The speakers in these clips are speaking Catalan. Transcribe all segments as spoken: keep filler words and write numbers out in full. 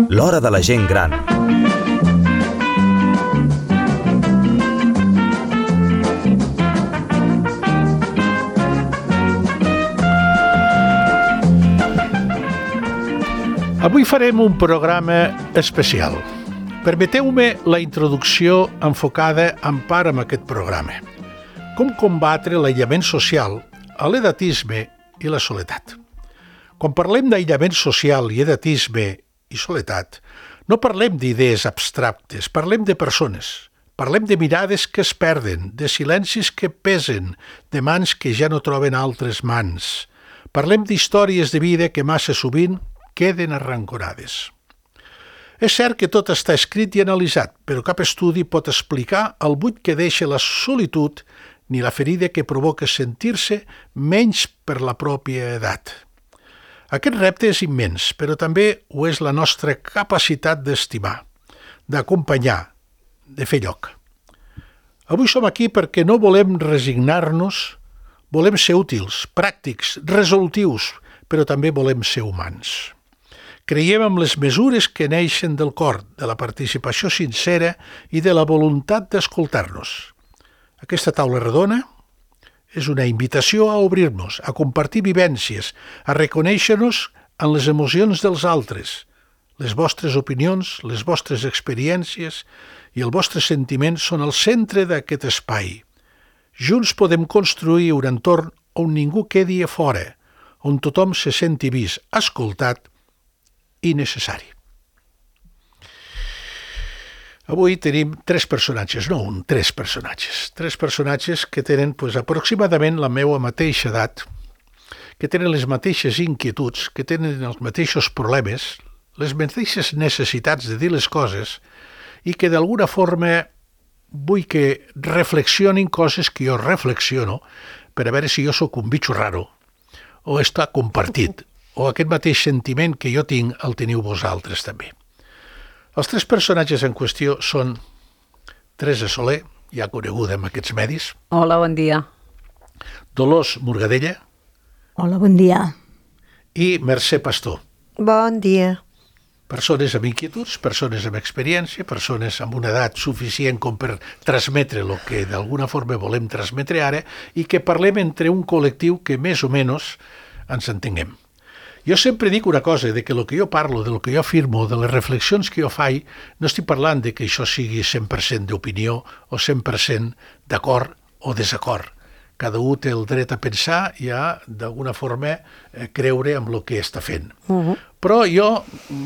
L'hora de la gent gran. Avui farem un programa especial. Permeteu-me la introducció enfocada en part amb aquest programa. Com combatre l'aïllament social, l'edatisme i la soledat. Quan parlem d'aïllament social i edatisme i soledat, no parlem d'idees abstractes, parlem de persones. Parlem de mirades que es perden, de silencis que pesen, de mans que ja no troben altres mans. Parlem d'històries de vida que massa sovint queden arrancorades. És cert que tot està escrit i analitzat, però cap estudi pot explicar el buit que deixa la solitud ni la ferida que provoca sentir-se menys per la pròpia edat. Aquest repte és immens, però també ho és la nostra capacitat d'estimar, d'acompanyar, de fer lloc. Avui som aquí perquè no volem resignar-nos, volem ser útils, pràctics, resolutius, però també volem ser humans. Creiem en les mesures que neixen del cor, de la participació sincera i de la voluntat d'escoltar-nos. Aquesta taula redona és una invitació a obrir-nos, a compartir vivències, a reconèixer-nos en les emocions dels altres, les vostres opinions, les vostres experiències i els vostres sentiments són el centre d'aquest espai. Junts podem construir un entorn on ningú quedi a fora, on tothom se senti vist, escoltat i necessari. Avui tenim tres personatges, no un, tres personatges. Tres personatges que tenen pues, aproximadament la meva mateixa edat, que tenen les mateixes inquietuds, que tenen els mateixos problemes, les mateixes necessitats de dir les coses i que d'alguna forma vull que reflexionin coses que jo reflexiono per a veure si jo sóc un bitxo raro o està compartit, o aquest mateix sentiment que jo tinc el teniu vosaltres també. Els tres personatges en qüestió són Teresa Soler, ja coneguda en aquests medis. Hola, bon dia. Dolors Morgadella. Hola, bon dia. I Mercè Pastor. Bon dia. Persones amb inquietuds, persones amb experiència, persones amb una edat suficient com per transmetre el que d'alguna forma volem transmetre ara i que parlem entre un col·lectiu que més o menys ens entenguem. Jo sempre dic una cosa, de que el que jo parlo, del que jo afirmo, de les reflexions que jo faig, no estic parlant de que això sigui cent per cent d'opinió o cent per cent d'acord o desacord. Cada un té el dret a pensar i a, d'alguna forma, creure en el que està fent. Uh-huh. Però jo,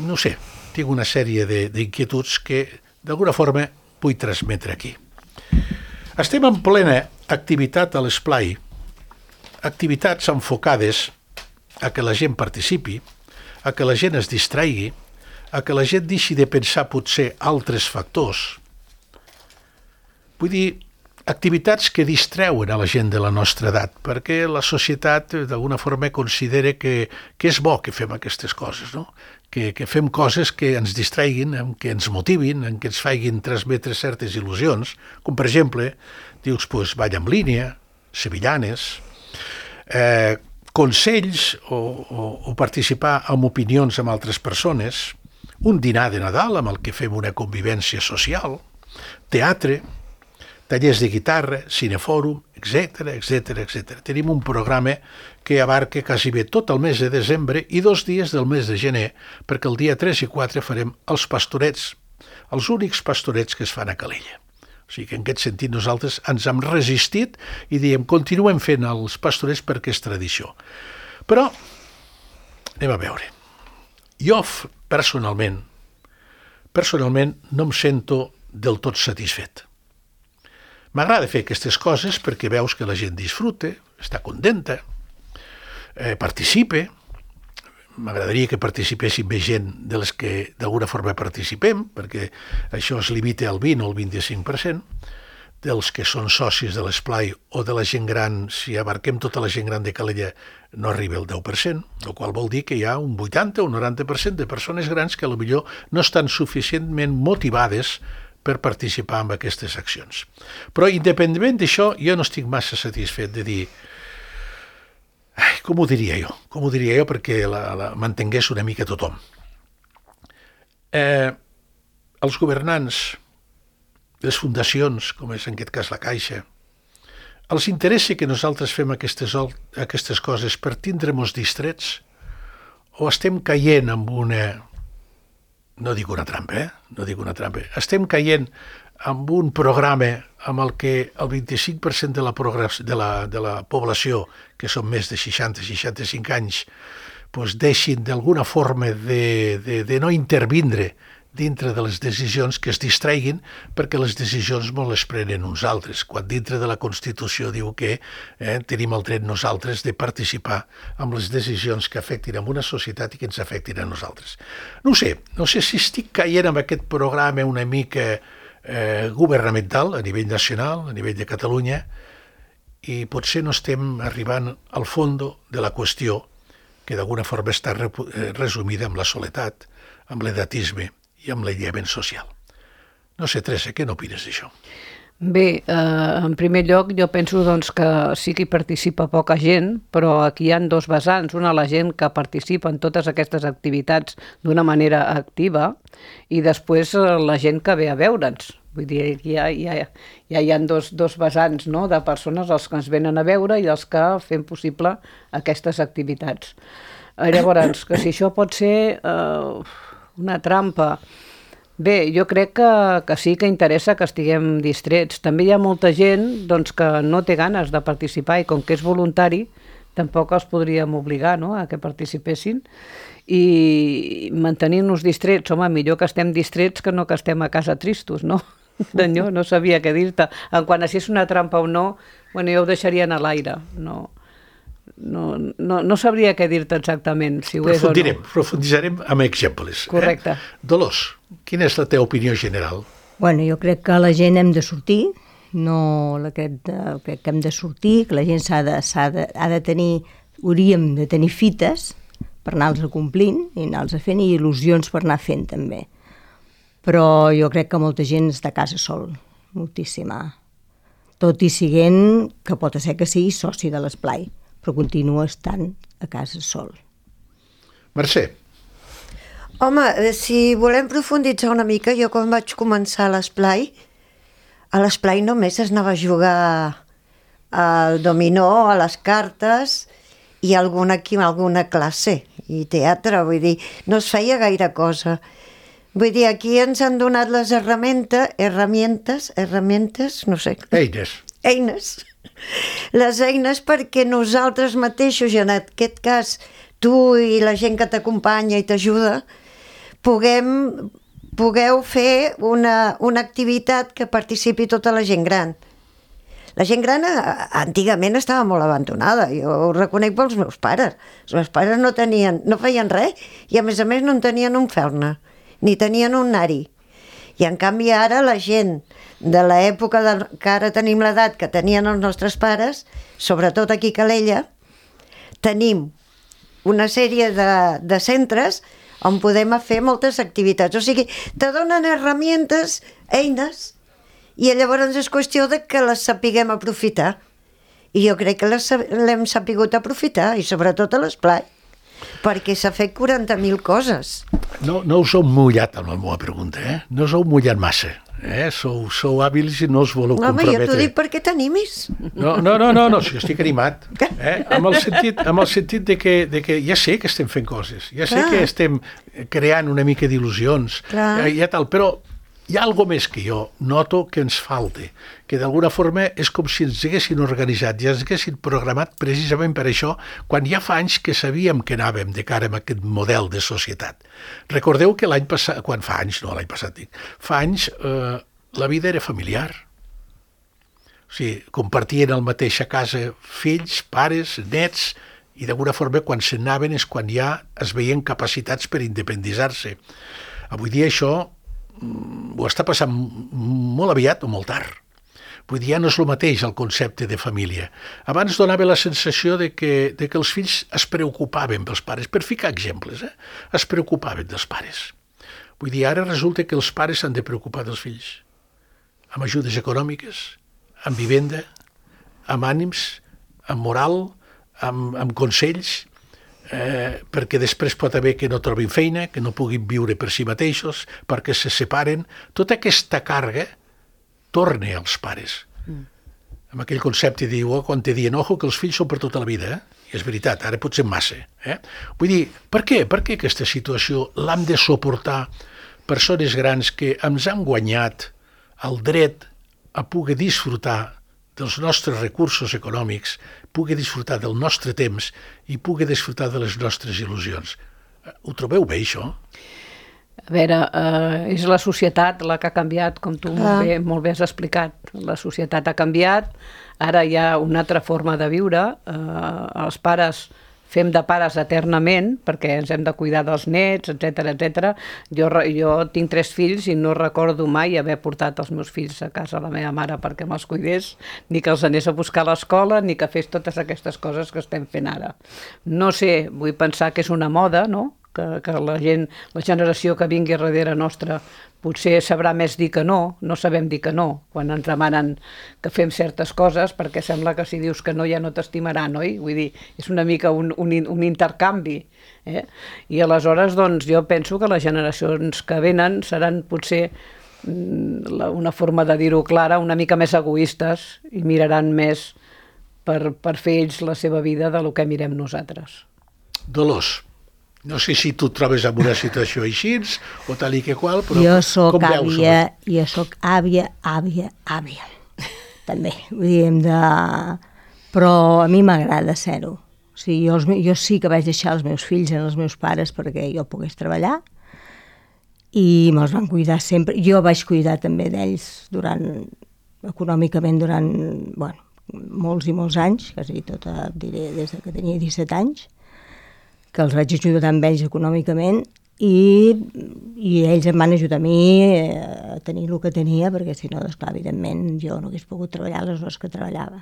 no sé, tinc una sèrie de, d'inquietuds que, d'alguna forma, vull transmetre aquí. Estem en plena activitat a l'esplai, activitats enfocades a que la gent participi, a que la gent es distraigui, a que la gent deixi de pensar potser altres factors. Vull dir, activitats que distreuen a la gent de la nostra edat, perquè la societat d'alguna forma considera que, que és bo que fem aquestes coses, no? que, que fem coses que ens distraiguin, que ens motivin, que ens facin transmetre certes il·lusions, com per exemple, dius, pues, ball en línia, sevillanes, eh, consells o, o, o participar en opinions amb altres persones, un dinar de Nadal amb el que fem una convivència social, teatre, tallers de guitarra, cinefòrum, etcètera, etcètera, etcètera. Tenim un programa que abarca quasi bé tot el mes de desembre i dos dies del mes de gener, perquè el dia tres i quatre farem els pastorets, els únics pastorets que es fan a Calella. O sigui que en aquest sentit nosaltres ens hem resistit i diem, continuem fent els pastorets perquè és tradició. Però, anem a veure. Jo, personalment, personalment no em sento del tot satisfet. M'agrada fer aquestes coses perquè veus que la gent disfruta, està contenta, eh, participa. M'agradaria que participessin més gent de les que d'alguna forma participem, perquè això es limita al vint o al vint-i-cinc per cent dels que són socis de l'esplai o de la gent gran. Si abarquem tota la gent gran de Calella no arriba al deu per cent, el qual vol dir que hi ha un vuitanta o un noranta per cent de persones grans que potser no estan suficientment motivades per participar en aquestes accions. Però independentment d'això, jo no estic massa satisfet de dir Ai, com ho diria jo? Com ho diria jo perquè la, la mantingués una mica tothom? Eh, els governants, les fundacions, com és en aquest cas la Caixa, els interessa que nosaltres fem aquestes, aquestes coses per tindre-nos distrets o estem caient en una... No dic una trampa, eh? No dic una trampa. Estem caient en un programa amb el que el vint-i-cinc per cent de la, de la, de la població, que són més de seixanta a seixanta-cinc anys, doncs deixin d'alguna forma de, de, de no intervindre dintre de les decisions, que es distreguin perquè les decisions no les prenen uns altres, quan dintre de la Constitució diu que eh, tenim el dret nosaltres de participar en les decisions que afectin a una societat i que ens afectin a nosaltres. No ho sé, no sé si estic caient en aquest programa una mica eh, governamental a nivell nacional, a nivell de Catalunya, i potser no estem arribant al fons de la qüestió, que d'alguna forma està resumida amb la soledat, amb l'edatisme i amb l'aïllament social. No sé, Teresa, què n'opines d'això? Bé, eh, en primer lloc jo penso doncs, que sí que hi participa poca gent, però aquí hi ha dos vessants. Una, la gent que participa en totes aquestes activitats d'una manera activa, i després eh, la gent que ve a veure'ns. Vull dir, aquí hi ha, hi ha, hi ha dos, dos vessants, no?, de persones, els que ens venen a veure i els que fem possible aquestes activitats. Llavors, que si això pot ser eh, una trampa... Bé, jo crec que, que sí que interessa que estiguem distrets. També hi ha molta gent doncs, que no té ganes de participar i com que és voluntari tampoc els podríem obligar, no?, a que participessin, i mantenir-nos distrets, home, millor que estem distrets que no que estem a casa tristos, no? Senyor, no sabia què dir-te. En quant a si és una trampa o no, bueno, jo ho deixaria a l'aire, no... No, no, no sabria què dir-te exactament, si ho és o no. Profunditzarem amb exemples. Correcte. Eh? Dolors, quina és la teva opinió general? Bueno, jo crec que la gent hem de sortir, no la crec, de, crec que hem de sortir, que la gent s'ha de, s'ha de, ha de tenir, hauríem de tenir fites per anar-los complint i anar-los fent, i il·lusions per anar fent també. Però jo crec que molta gent està a casa sol, moltíssima. Tot i siguent que pot ser que sigui soci de l'esplai, però continua estant a casa sol. Mercè. Home, si volem profunditzar una mica, jo quan vaig començar a l'esplai, a l'esplai només es anava a jugar al dominó, a les cartes i alguna, alguna classe i teatre, vull dir, no es feia gaire cosa. Vull dir, aquí ens han donat les herramientes, herramientes, herramientes, no sé. Eines. Eines. Les eines perquè nosaltres mateixos, i en aquest cas tu i la gent que t'acompanya i t'ajuda, puguem, pugueu fer una, una activitat que participi tota la gent gran. La gent gran antigament estava molt abandonada, jo ho reconec pels meus pares. Els meus pares no tenien, no feien res i a més a més no en tenien un felna, ni tenien un nari. I en canvi ara la gent de l'època de, que ara tenim l'edat que tenien els nostres pares, sobretot aquí a Calella, tenim una sèrie de, de centres on podem fer moltes activitats. O sigui, te donen herramientes, eines, i llavors és qüestió de que les sapiguem aprofitar. I jo crec que les l'hem sapigut aprofitar, i sobretot a l'esplai, perquè s'ha fet quaranta mil coses. No, no us heu mullat amb la meva pregunta, eh? No us heu mullat massa. Eh? Sou, sou hàbils i no us voleu Home, comprometre. Home, jo t'ho dic perquè t'animis. No, no, no, no, no, si estic animat. Eh? Amb el sentit, amb el sentit de, que, de que ja sé que estem fent coses, ja sé Clar. que estem creant una mica d'il·lusions, eh, ja tal, però hi ha alguna més que jo noto que ens falta, que d'alguna forma és com si ens haguessin organitzat i ens haguessin programat precisament per això, quan ja fa anys que sabíem que anàvem de cara a aquest model de societat. Recordeu que l'any passat, quan fa anys, no l'any passat dic, fa anys eh, la vida era familiar. O sigui, compartien el mateix a casa fills, pares, nets, i d'alguna forma quan se'n anaven és quan ja es veien capacitats per independitzar-se. Avui dia això ho està passant molt aviat o molt tard. Vull dir, ja no és el mateix el concepte de família. Abans donava la sensació de que, de que els fills es preocupaven pels pares, per ficar exemples, eh? es preocupaven dels pares. Vull dir, ara resulta que els pares s'han de preocupar dels fills, amb ajudes econòmiques, amb vivenda, amb ànims, amb moral, amb, amb consells, eh, perquè després pot haver que no trobin feina, que no puguin viure per si mateixos, perquè se separen. Tota aquesta càrrega torna als pares. Mm. Amb aquell concepte diu, oh, quan te diuen, ojo, que els fills són per tota la vida, eh? I és veritat, ara pot ser massa. Eh? Vull dir, per què? Per què aquesta situació l'hem de suportar persones grans que ens han guanyat el dret a poder disfrutar dels nostres recursos econòmics, poder disfrutar del nostre temps i poder disfrutar de les nostres il·lusions? Ho trobeu bé, això? A veure, eh, és la societat la que ha canviat, com tu molt bé, molt bé has explicat. La societat ha canviat, ara hi ha una altra forma de viure, eh, els pares fem de pares eternament perquè ens hem de cuidar dels nets, etcètera, etcètera. Jo, jo tinc tres fills i no recordo mai haver portat els meus fills a casa a la meva mare perquè me'ls cuidés, ni que els anés a buscar a l'escola, ni que fes totes aquestes coses que estem fent ara. No sé, vull pensar que és una moda, no?, que, que la gent, la generació que vingui darrere nostra potser sabrà més dir que no, no sabem dir que no, quan ens demanen que fem certes coses, perquè sembla que si dius que no ja no t'estimaran, oi? Vull dir, és una mica un, un, un intercanvi. Eh? I aleshores, doncs, jo penso que les generacions que venen seran potser una forma de dir-ho clara, una mica més egoistes i miraran més per, per fer ells la seva vida del que mirem nosaltres. Dolors, no sé si tu et trobes en una situació així o tal i que qual, però jo soc com veus? Àvia, jo soc àvia, àvia, àvia. També, vull dir, hem de... Però a mi m'agrada ser-ho. O sigui, jo, jo sí que vaig deixar els meus fills en els meus pares perquè jo pogués treballar i me'ls van cuidar sempre. Jo vaig cuidar també d'ells durant, econòmicament durant, bueno, molts i molts anys, quasi tota, diré, des que tenia disset anys, que els vaig ajudar amb ells econòmicament i, i ells em van ajudar a mi a tenir el que tenia, perquè si no, esclar, evidentment, jo no hagués pogut treballar les hores que treballava.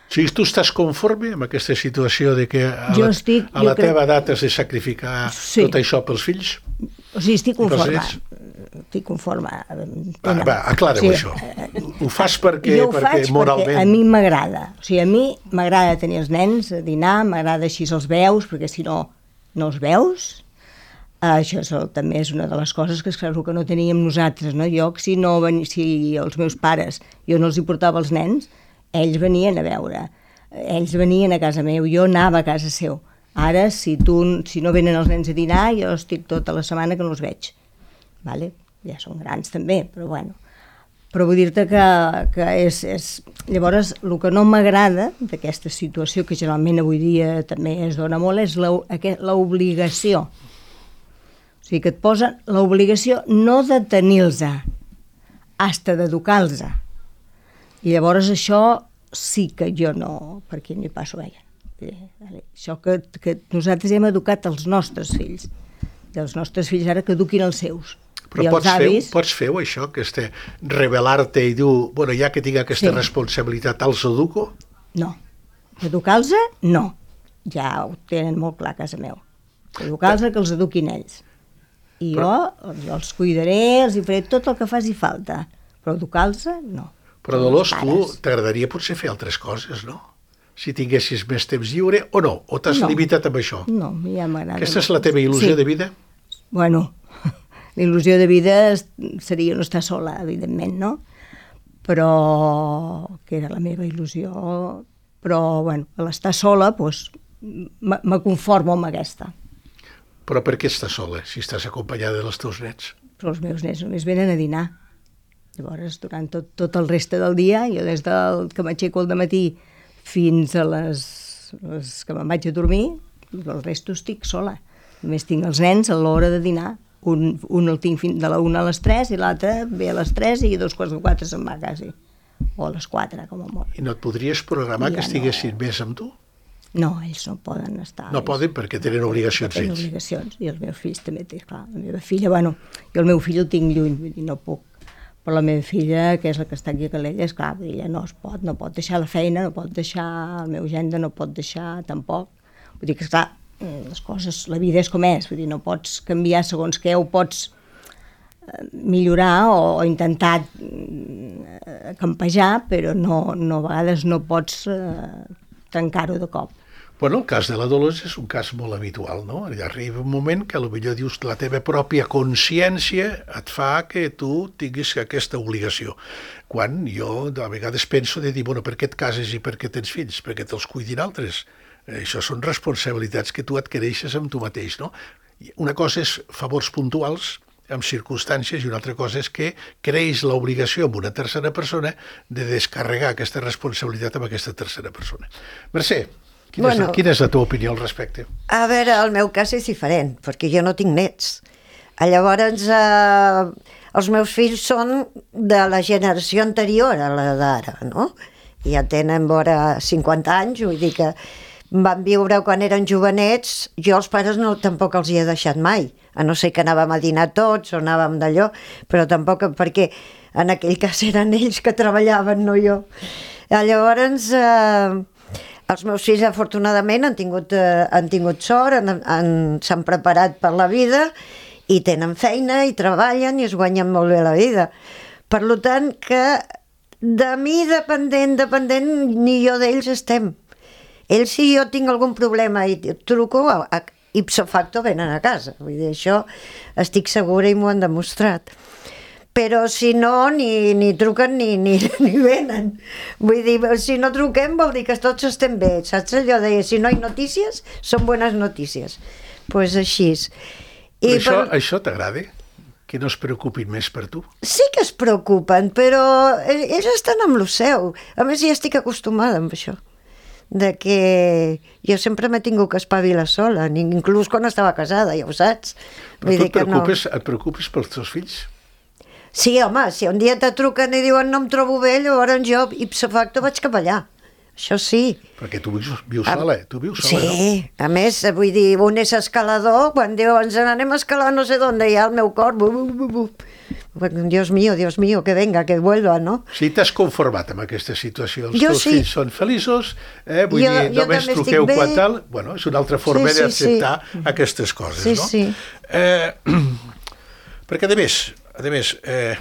O sigui, tu estàs conforme amb aquesta situació de que a la, estic, a la crec... teva edat has de sacrificar sí. tot això pels fills? O sigui, estic conforme. Estic conforme. Va, va, aclara-ho, sí. Això. Ho fas perquè, jo ho perquè faig moralment... perquè a mi m'agrada. O sigui, a mi m'agrada tenir els nens a dinar, m'agrada així els veus, perquè si no, no els veus. Això és el, també és una de les coses que és clar que no teníem nosaltres, no? Jo, si, no, si els meus pares, jo no els hi portava els nens, ells venien a veure, ells venien a casa meu, jo anava a casa seu. Ara, si, tu, si no venen els nens a dinar, jo estic tota la setmana que no els veig. Vale? Ja són grans també, però bueno. Però vull dir-te que, que és, és... Llavors, el que no m'agrada d'aquesta situació, que generalment avui dia també es dona molt, és l'obligació. O sigui, que et posen l'obligació no de tenir-los, hasta d'educar-los. I llavors això sí que jo no, per aquí m'hi passo veia. Això que, que nosaltres hem educat els nostres fills, i els nostres fills ara que eduquin els seus. Però pots, avis... fer, pots fer això, que este, rebel·lar-te i dir, bueno, ja que tinc aquesta sí. responsabilitat, els educo? No. Educar-los, no. Ja ho tenen molt clar a casa meu. Educar-los, Però... que els eduquin ells. I Però... jo, jo els cuidaré, els hi faré tot el que faci falta. Però educar-los, no. Però, Dolors, tu t'agradaria potser fer altres coses, no? Si tinguessis més temps lliure, o no? O t'has no. limitat amb això? No, ja m'agrada. Aquesta és la teva il·lusió sí. de vida? Bueno, la il·lusió de vida seria no estar sola, evidentment, no? Però, que era la meva il·lusió, però, bueno, a l'estar sola, doncs, me conformo amb aquesta. Però per què estàs sola, si estàs acompanyada dels teus nets? Però els meus nets només venen a dinar. Llavors, durant tot, tot el reste del dia, jo des del que m'aixeco al dematí fins a les, les que me'n vaig a dormir, el resto estic sola. Només tinc els nens a l'hora de dinar. Un, un el tinc fins de la una a les tres i l'altre ve a les tres i dos quarts de quatre se'n va quasi. O a les quatre, com a molt. I no et podries programar ja que estiguessin no. més amb tu? No, ells no poden estar. No poden perquè tenen obligacions tenen ells. obligacions, i els meus fills també, clar. La meva filla, bueno, jo el meu fill el tinc lluny, vull dir, no puc. Però la meva filla, que és la que està aquí a Calella, és clar, ella no es pot, no pot deixar la feina, no pot deixar el meu gendre, no pot deixar tampoc. Vull dir que, esclar, les coses, la vida és com és, vull dir, no pots canviar segons què, ho pots millorar o, o intentar campejar, però no, no, a vegades no pots eh, trencar-ho de cop. Bueno, el cas de la Dolors és un cas molt habitual, no? Arriba un moment que potser dius la teva pròpia consciència et fa que tu tinguis aquesta obligació. Quan jo a vegades penso de dir, bueno, per què et cases i per què tens fills? Perquè te'ls cuidin altres. Això són responsabilitats que tu adquireixes amb tu mateix, no? Una cosa és favors puntuals, amb circumstàncies, i una altra cosa és que creïs l'obligació amb una tercera persona de descarregar aquesta responsabilitat amb aquesta tercera persona. Mercè, quina, bueno, és, quina és la teva opinió al respecte? A veure, el meu cas és diferent, perquè jo no tinc nets. Llavors, eh, els meus fills són de la generació anterior a la d'ara, no? Ja tenen vora cinquanta anys, vull dir que van viure quan eren jovenets, jo els pares no, tampoc els hi he deixat mai, a no ser que anàvem a dinar tots o anàvem d'allò, però tampoc perquè en aquell cas eren ells que treballaven, no jo. Llavors, eh, els meus fills afortunadament han tingut, eh, han tingut sort, han, han, s'han preparat per la vida i tenen feina i treballen i es guanyen molt bé la vida. Per tant, que de mi dependent, dependent, ni jo d'ells estem. Ells, si jo tinc algun problema i truco, a, a, ipso facto venen a casa. Vull dir, això estic segura i m'ho han demostrat. Però si no, ni, ni truquen ni, ni, ni venen. Vull dir, si no truquem vol dir que tots estem bé. Saps allò de si no hi notícies, són bones notícies. Doncs pues així. I això, per... això t'agrada? Que no es preocupin més per tu? Sí que es preocupen, però ells estan amb lo seu. A més, ja estic acostumada amb això. De que jo sempre m'he tingut que espavilar sola, inclús quan estava casada, ja ho saps. Però tu et preocupes, no... et preocupes pels teus fills? Sí, home, si un dia te truquen i diuen no em trobo bé, llavors jo ipso facto vaig cap allà. Això sí. Perquè tu vius, vius sola, eh? Tu vius sola, sí, no? Sí, a més, vull dir, un és escalador, quan diu ens anem a escalar no sé d'on, hi ha el meu cor, bu, bu, bu, bu. Dios mío, Dios mío, que venga, que vuelva, no? Sí, t'has conformat amb aquesta situació. Els jo teus sí. fills són feliços, eh? Vull jo, dir, jo només truqueu quan tal. Bueno, és una altra forma sí, sí, d'acceptar sí. aquestes coses, sí, no? Sí, eh, perquè, a més, a més eh,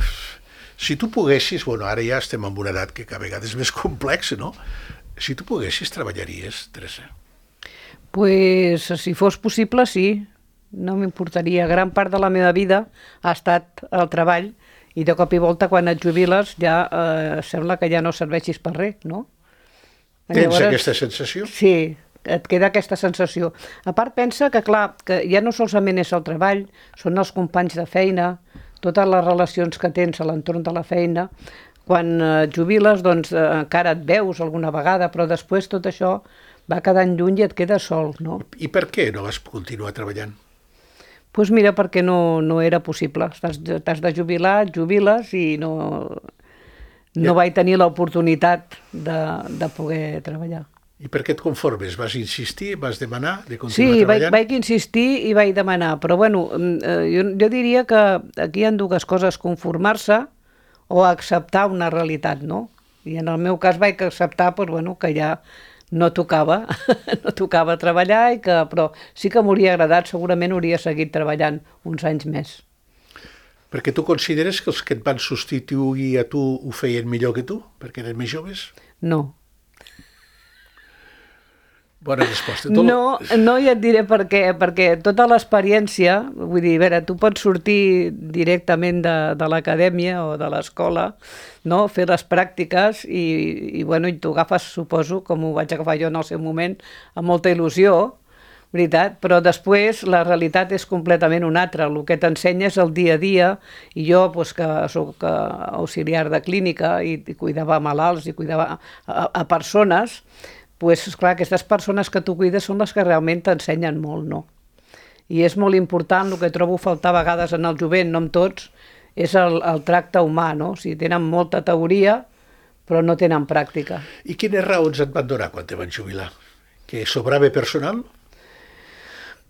si tu poguessis, bueno, ara ja estem en una edat que cada vegada és més complexa, no? Si tu poguessis, treballaries, Teresa? Pues, si fos possible, sí. No m'importaria. Gran part de la meva vida ha estat el treball i de cop i volta, quan et jubiles, ja eh, sembla que ja no serveixis per res, no? Tens Llavors, aquesta sensació? Sí, et queda aquesta sensació. A part, pensa que, clar, que ja no solament és el treball, són els companys de feina, totes les relacions que tens a l'entorn de la feina. Quan et jubiles, doncs, eh, encara et veus alguna vegada, però després tot això va quedant lluny i et quedes sol, no? I per què no vas continuar treballant? Doncs pues mira, perquè no, no era possible. T'has de jubilar, et jubiles i no, no ja. vaig tenir l'oportunitat de, de poder treballar. I per què et conformes? Vas insistir? Vas demanar de continuar sí, treballant? Sí, vaig, vaig insistir i vaig demanar, però bueno, jo, jo diria que aquí hi ha dues coses, conformar-se o acceptar una realitat, no? I en el meu cas vaig acceptar pues, bueno, que ja no tocava, no tocava treballar, i que, però sí que m'hauria agradat, segurament hauria seguit treballant uns anys més. Perquè tu consideres que els que et van substituir a tu ho feien millor que tu, perquè eren més joves? No. Bona resposta. Tot... No, no, ja et diré per què, perquè tota l'experiència, vull dir, a veure, tu pots sortir directament de, de l'acadèmia o de l'escola, no? Fer les pràctiques i, i, bueno, i tu agafes, suposo, com ho vaig agafar jo en el seu moment, amb molta il·lusió, veritat, però després la realitat és completament una altra. El que t'ensenya és el dia a dia, i jo, doncs, que soc auxiliar de clínica i, i cuidava malalts i cuidava a, a persones, doncs, esclar, aquestes persones que tu cuides són les que realment t'ensenyen molt, no? I és molt important, el que trobo faltar a vegades en el jovent, no en tots, és el, el tracte humà, no? O sigui, tenen molta teoria, però no tenen pràctica. I quines raons et van donar quan te van jubilar? Que sobrava personal?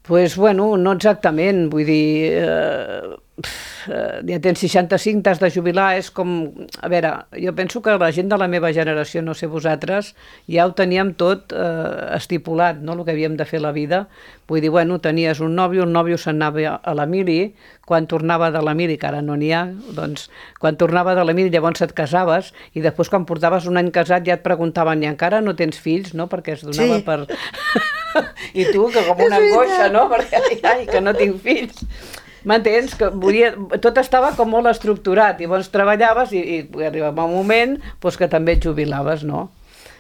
Doncs, bueno, no exactament, vull dir... Eh, eh, ja tens seixanta-cinc, t'has de jubilar, és com... A veure, jo penso que la gent de la meva generació, no sé vosaltres, ja ho teníem tot eh, estipulat, no?, el que havíem de fer a la vida. Vull dir, bueno, tenies un nòvio, el nòvio se'n anava a la mili, quan tornava de la mili, que ara no n'hi ha, doncs, quan tornava de la mili llavors et casaves, i després quan portaves un any casat ja et preguntaven, i encara no tens fills, no?, perquè es donava Sí. per... I tu, que com una angoixa, no?, perquè, ai, ai, que no tinc fills. M'entens? Que volia... Tot estava com molt estructurat, i llavors treballaves i, i arribava un moment doncs, que també et jubilaves, no?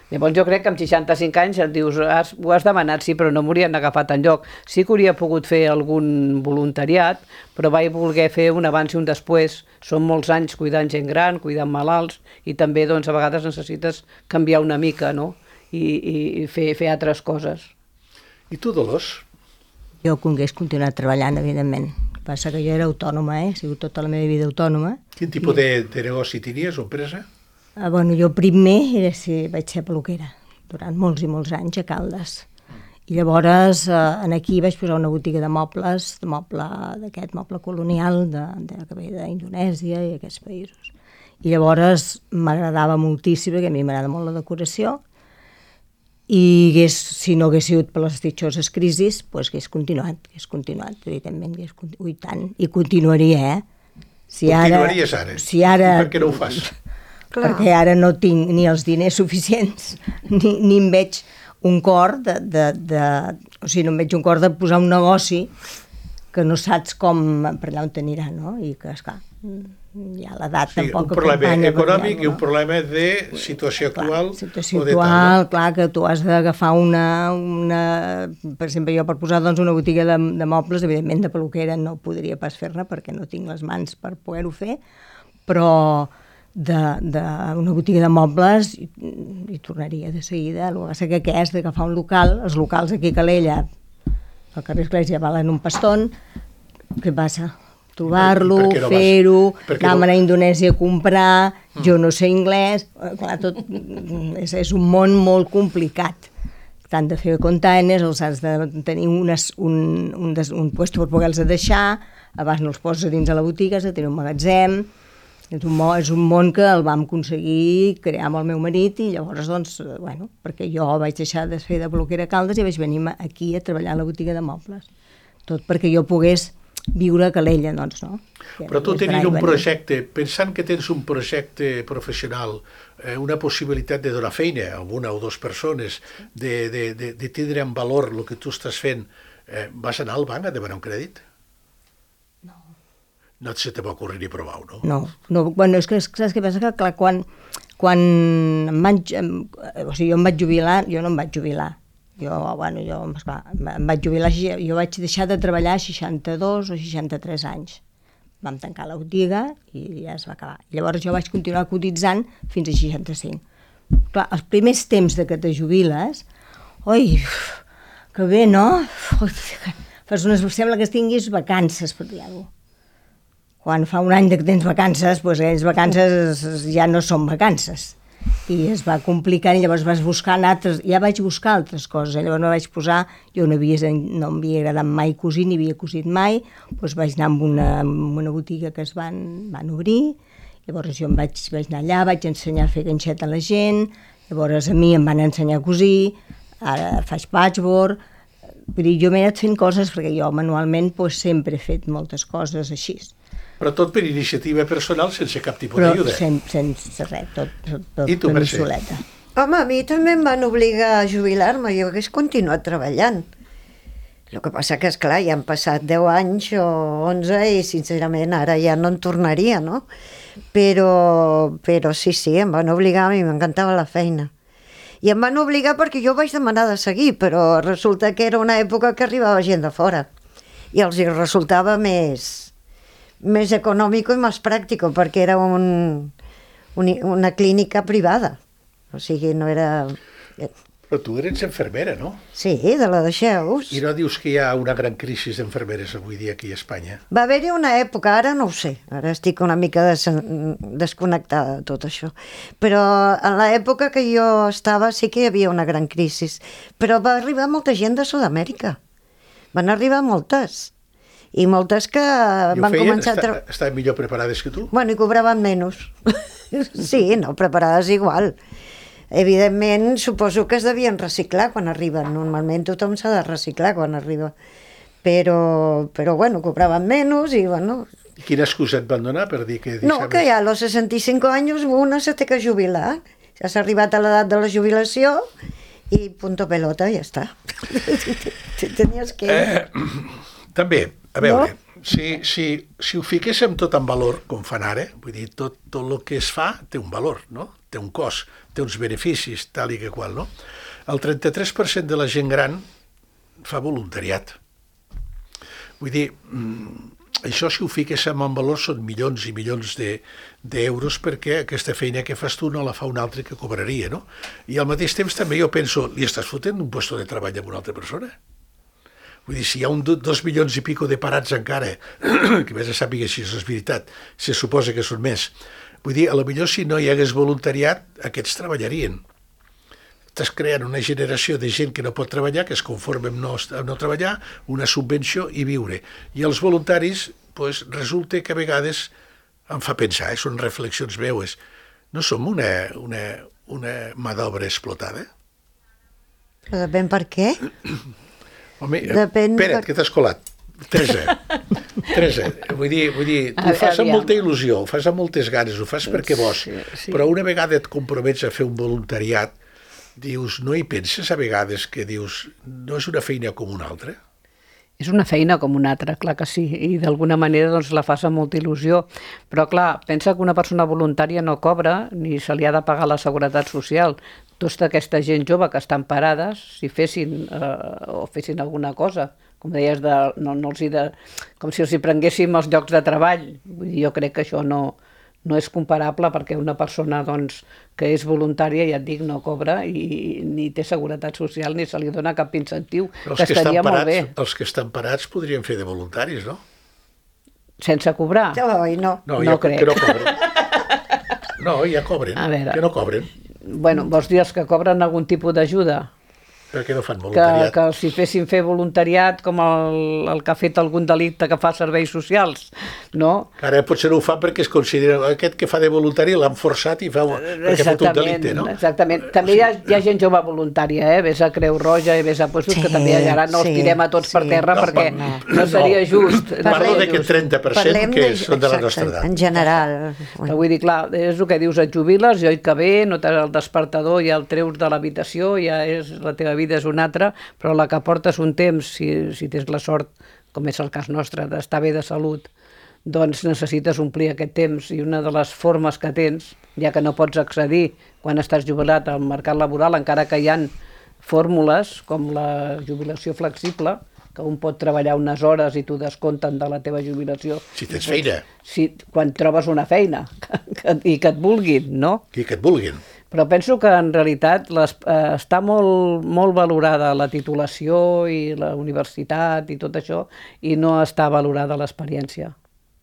Llavors jo crec que amb seixanta-cinc anys et dius, has, ho has demanat, sí, però no m'haurien agafat enlloc. Sí que hauria pogut fer algun voluntariat, però vaig voler fer un abans i un després. Són molts anys cuidant gent gran, cuidant malalts, i també doncs, a vegades necessites canviar una mica, no?, i, i, i fer, fer altres coses. I tu, Dolors? Jo hagués continuat treballant, evidentment. Passa que jo era autònoma, eh? He sigut tota la meva vida autònoma. Quin tipus de, de negoci tenies o empresa? Ah, bueno, jo primer era, sí, vaig ser peluquera, durant molts i molts anys a Caldes. I llavors eh, en aquí vaig posar una botiga de mobles, de moble d'aquest moble colonial de, de, que ve d'Indonèsia i aquests països. I llavors m'agradava moltíssim, perquè a mi m'agrada molt la decoració, i hagués, si no hagués sigut per les ditxoses crisis, doncs hagués continuat, hagués continuat, evidentment, hagués continuat, i tant, i continuaria, eh? Si Continuaries ara? Si ara... I per què no ho fas? Clar. Perquè ara no tinc ni els diners suficients, ni, ni em veig un cor de, de, de... O sigui, no em veig un cor de posar un negoci que no saps com per allà on t'anirà, no? I que, esclar, ja l'edat Sí, tampoc un problema acompanya per econòmic allà, i un no? problema de situació actual. Clar, situació o de tal, actual, no? clar, que tu has d'agafar una, una... Per exemple, jo per posar doncs, una botiga de, de mobles, evidentment de peluquera no podria pas fer-ne perquè no tinc les mans per poder-ho fer, però de, de una botiga de mobles hi, hi tornaria de seguida. El que passa que és d'agafar un local, els locals aquí a Calella, al carrer Església, valen un paston. Què passa? Trobar-lo, I per què no vas? fer-ho, Per què anar no? a Indonèsia a comprar, jo no sé anglès, eh, clar, tot és, és un món molt complicat. T'han de fer containers, els has de tenir unes, un, un, des, un puesto per poder-los deixar, abans no els poses a dins de la botiga, has de tenir un magatzem. És un, món, és un món que el vam aconseguir crear amb el meu marit i llavors, doncs, bueno, perquè jo vaig deixar de fer de peluquera a Caldes i vaig venir aquí a treballar a la botiga de mobles. Tot perquè jo pogués viure a Calella, doncs, no? Però tu tenint un projecte, pensant que tens un projecte professional, eh, una possibilitat de donar feina a una o dues persones, de, de, de, de tindre en valor el que tu estàs fent, eh, vas anar al banc a demanar un crèdit? No. No se te va ocurrir ni provar-ho, no? No, no, bueno, és que saps què passa? Que clar, quan, quan em vaig, em, o sigui, jo em vaig jubilar, jo no em vaig jubilar, jo, bueno, jo, esclar, em vaig jubilar, jo vaig deixar de treballar a seixanta-dos o seixanta-tres anys. Vam tancar la botiga i ja es va acabar. Llavors jo vaig continuar cotitzant fins a seixanta-cinc. Clar, els primers temps de que te jubiles, oi, que bé, no? Fas unes, sembla que tinguis vacances, per dir-ho. Quan fa un any que tens vacances, doncs aquelles vacances ja no són vacances. I es va complicant i llavors vas buscant altres, ja vaig buscar altres coses, llavors no vaig posar, jo no, havia, no m'havia agradat mai cosir, ni havia cosit mai, doncs vaig anar amb una, amb una botiga que es van, van obrir, llavors jo em vaig, vaig anar allà, vaig ensenyar a fer ganxet a la gent, llavors a mi em van ensenyar a cosir, ara faig patchwork, vull dir, jo m'he anat fent coses perquè jo manualment doncs, sempre he fet moltes coses així. Però tot per iniciativa personal, sense cap tipus Però d'ajuda. sen, sense res, tot, tot, tot I tu, per mi Mercè? soleta. Home, a mi també em van obligar a jubilar-me, jo hagués continuat treballant. El que passa que, esclar, ja han passat deu anys o onze i, sincerament, ara ja no en tornaria, no? Però, però sí, sí, em van obligar, a mi m'encantava la feina. I em van obligar perquè jo vaig demanar de seguir, però resulta que era una època que arribava gent de fora i els hi resultava més, més econòmic i més pràctic, perquè era un, un, una clínica privada. O sigui, no era... Però tu eres infermera, no? Sí, de la Deixeus. I no dius que hi ha una gran crisi d'infermeres avui dia aquí a Espanya? Va haver-hi una època, ara no ho sé, ara estic una mica des desconnectada de tot això, però en l'època que jo estava sí que hi havia una gran crisi, però va arribar molta gent de Sud-amèrica, van arribar moltes, i moltes que I ho van feien? començar a... Està, Tra... estaven millor preparades que tu? Bueno, i cobraven menys. Sí, no, preparades igual. Evidentment, suposo que es devien reciclar quan arriben. Normalment tothom s'ha de reciclar quan arriba. Però, però bueno, cobraven menys i, bueno... I quina excusa et van donar per dir que deixaves... No, que ja a los sesenta y cinco años una se té que jubilar. Ja s'ha arribat a l'edat de la jubilació i punto pelota, ja està. Tenies que... Eh, també, a veure, No? si, si, si ho fiquéssim tot en valor, com fan ara, vull dir, tot, tot el que es fa té un valor, no? Té un cost, té uns beneficis, tal i que qual, no? El trenta-tres per cent de la gent gran fa voluntariat. Vull dir, això si ho fiquéssim en valor són milions i milions de, d'euros perquè aquesta feina que fas tu no la fa un altre que cobraria, no? I al mateix temps també jo penso, li estàs fotent un lloc de treball a una altra persona? Vull dir, si hi ha un, dos milions i pico de parats encara, que més a sàpiga si és veritat, se suposa que són més. Vull dir, a lo millor si no hi hagués voluntariat, aquests treballarien. Estàs creant una generació de gent que no pot treballar, que es conforma amb no, amb no treballar, una subvenció i viure. I els voluntaris, pues, resulta que a vegades em fa pensar, eh, són reflexions meues, no som una, una, una mà d'obra explotada? Però depèn per què. Home, Depèn espera't, per- que t'has colat. Teresa, Teresa, vull dir, vull dir, tu ho fas amb Aviam. molta il·lusió, ho fas amb moltes ganes, ho fas perquè vols, Sí, sí. però una vegada et compromets a fer un voluntariat, dius, no hi penses a vegades que dius, no és una feina com una altra? És una feina com una altra, clar que sí, i d'alguna manera doncs, la fas amb molta il·lusió. Però clar, pensa que una persona voluntària no cobra ni se li ha de pagar la seguretat social. Tota aquesta gent jove que estan parades, si fessin eh, o fessin alguna cosa, com deies, de, no, no els hi de, com si els hi prenguéssim els llocs de treball. Vull dir, jo crec que això no, no és comparable perquè una persona doncs, que és voluntària, ja et dic, no cobra i ni té seguretat social ni se li dona cap incentiu, Els que que, estan estaria molt parats, bé, els que estan parats podrien fer de voluntaris, no? sense cobrar. Oi, no. No, No ja, crec. que no cobren. No, ja cobren, A veure. que no cobren, Bueno, vols dir els que cobren algun tipus d'ajuda? perquè no fan Que, voluntariat. que si fessin fer voluntariat com el, el que ha fet algun delicte que fa serveis socials, no? Ara potser no ho fan perquè es considera aquest que fa de voluntari l'han forçat i fa, perquè ha fet un delicte, no? Exactament. També hi ha, hi ha gent jove voluntària, eh? Ves a Creu Roja i ves a puestos Sí, que també ara no els sí, tirem a tots per sí. terra No, perquè no, no seria just. no Parlo seria d'aquest just. trenta per cent Parlem que de- són de la exacte, nostra edat. En general. Però vull dir, clar, és el que dius, et jubiles, i oi que bé, no tens el despertador, ja el treus de l'habitació, ja és, la teva vida és una altra, però la que portes un temps, si, si tens la sort, com és el cas nostre, d'estar bé de salut, doncs necessites omplir aquest temps, i una de les formes que tens, ja que no pots accedir quan estàs jubilat al mercat laboral, encara que hi ha fórmules com la jubilació flexible, que un pot treballar unes hores i t'ho descompten de la teva jubilació. Si tens feina, Si, quan trobes una feina que, que, i que et vulguin, no? i que et vulguin. Però penso que en realitat les, eh, està molt, molt valorada la titulació i la universitat i tot això, i no està valorada l'experiència,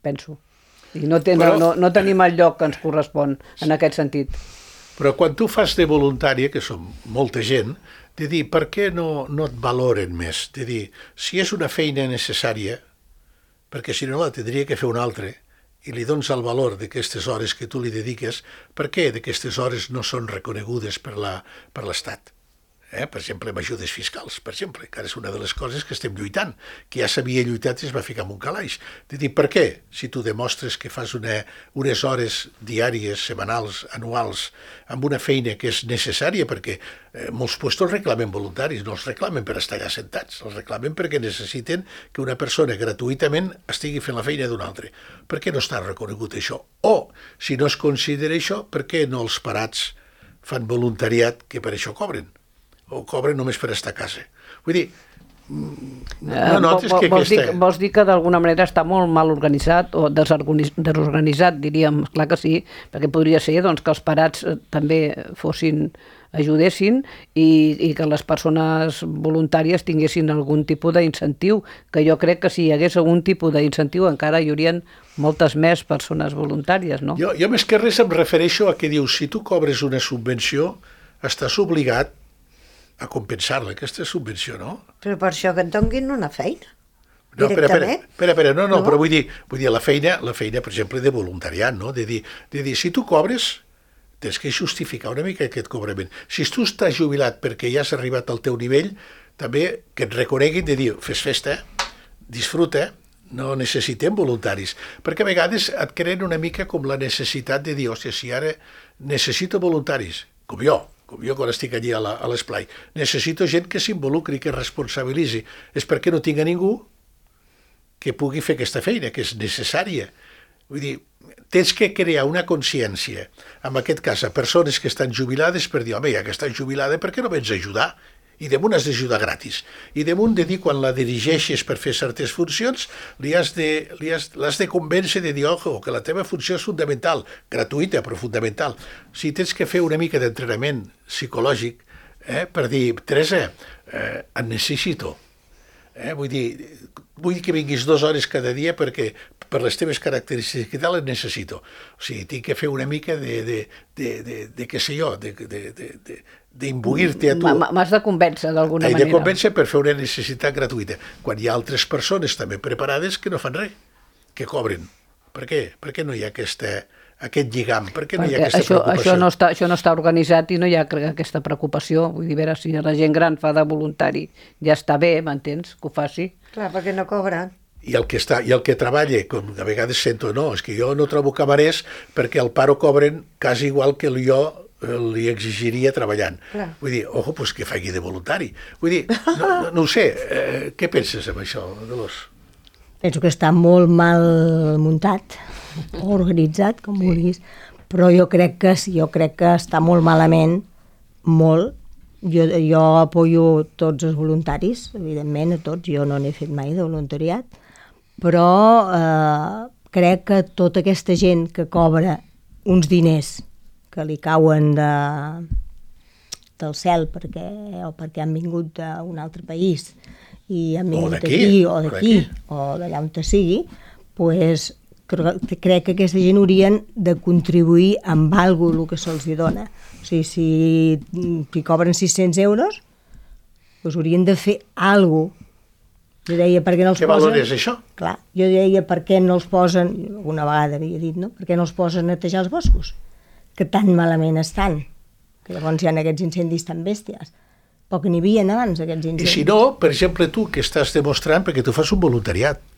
penso. I no, ten, Però- no, no tenim el lloc que ens correspon en aquest sentit. Però quan tu fas de voluntària, que som molta gent, de dir, per què no, no et valoren més? De dir, si és una feina necessària, perquè si no la tindria que fer un altre, i li dones el valor d'aquestes hores que tu li dediques, per què d'aquestes hores no són reconegudes per la, per l'Estat? Eh? Per exemple, amb ajudes fiscals, per exemple, que ara és una de les coses que estem lluitant, que ja s'havia lluitat i es va ficar en un calaix. De dir, per què? Si tu demostres que fas una, unes hores diàries, setmanals, anuals, amb una feina que és necessària, perquè eh, molts puestos reclamen voluntaris, no els reclamen per estar allà sentats, els reclamen perquè necessiten que una persona gratuïtament estigui fent la feina d'un altre. Per què no està reconegut això? O, si no es considera això, per què no els parats fan voluntariat que per això cobren? O cobren només per estar a casa. Vull dir, no notes Eh, que vols, dir, aquesta... vols dir que d'alguna manera està molt mal organitzat o desorganiz- desorganitzat, diríem, clar que sí, perquè podria ser doncs, que els parats eh, també fossin, ajudessin i, i que les persones voluntàries tinguessin algun tipus d'incentiu, que jo crec que si hi hagués algun tipus d'incentiu encara hi haurien moltes més persones voluntàries, no? Jo, jo més que res em refereixo a que dius, si tu cobres una subvenció, estàs obligat a compensar-la, aquesta subvenció, no? Però per això que et donguin una feina. No, espera, espera, directament. espera, espera, no, no, No? però vull dir, vull dir la feina, la feina, per exemple, de voluntariat, no? De dir, de dir, si tu cobres, tens que justificar una mica aquest cobrament. Si tu estàs jubilat perquè ja has arribat al teu nivell, també que et reconeguin de dir, fes festa, disfruta, no necessitem voluntaris. Perquè a vegades et creen una mica com la necessitat de dir, hòstia, si ara necessito voluntaris, com jo, com jo quan estic allí a la- a l'esplai, necessito gent que s'involucri, que es responsabilitzi. És perquè no tinc a ningú que pugui fer aquesta feina, que és necessària. Vull dir, tens que crear una consciència, en aquest cas, a persones que estan jubilades, per dir, home, ja que estàs jubilada, per què no vens a ajudar? I damunt has d'ajudar gratis. I damunt de dir, quan la dirigeixes per fer certes funcions, li has de, li has, l'has de convèncer de dir, ojo, que la teva funció és fundamental, gratuïta, però fundamental. O sigui, tens que fer una mica d'entrenament psicològic, eh, per dir, Teresa, eh, et necessito. Eh? Vull dir, vull que vinguis dues hores cada dia perquè per les teves característiques i tal et necessito. O sigui, tinc que fer una mica de, de, de, de, de què sé jo, de, de, de, de, d'imbuir-te a tu. M- M'has de convèncer d'alguna He manera. de convèncer per fer una necessitat gratuïta. Quan hi ha altres persones també preparades que no fan res, que cobren. Per què? Per què no hi ha aquesta, aquest lligam? Per què no hi ha Perquè aquesta això, preocupació? això, no està, això no està organitzat i no hi ha cre- aquesta preocupació. Vull dir, a veure, si la gent gran fa de voluntari ja està bé, m'entens, que ho faci. Clar, perquè no cobren. I el que està, i el que treballa, com a vegades sento, no, és que jo no trobo camarers perquè al paro cobren quasi igual que jo eh, li exigiria treballant. Clar. Vull dir, ojo, pues que faci de voluntari. Vull dir, no, no, no ho sé, eh, què penses amb això, Dolors? Penso que està molt mal muntat, o organitzat, com vulguis, però jo crec que jo crec que està molt malament, molt. Jo, jo apoyo tots els voluntaris, evidentment, a tots, jo no n'he fet mai de voluntariat, però eh, crec que tota aquesta gent que cobra uns diners que li cauen de, del cel perquè, o perquè han vingut d'un altre país i han vingut d'aquí, aquí o o d'aquí d'aquí. o d'allà on te sigui, pues, cre- crec que aquesta gent haurien de contribuir amb alguna cosa el que se'ls hi dona. O sigui, si, si cobren sis-cents euros, doncs haurien de fer alguna cosa. Jo deia, per què no els Què posen... valor és això? Clar, jo deia, per què no els posen, alguna vegada havia dit, no? Per què no els posen a netejar els boscos? Que tan malament estan. Que llavors hi ha aquests incendis tan bèsties. Però que n'hi havia abans, aquests I incendis. si no, per exemple, tu que estàs demostrant perquè tu fas un voluntariat,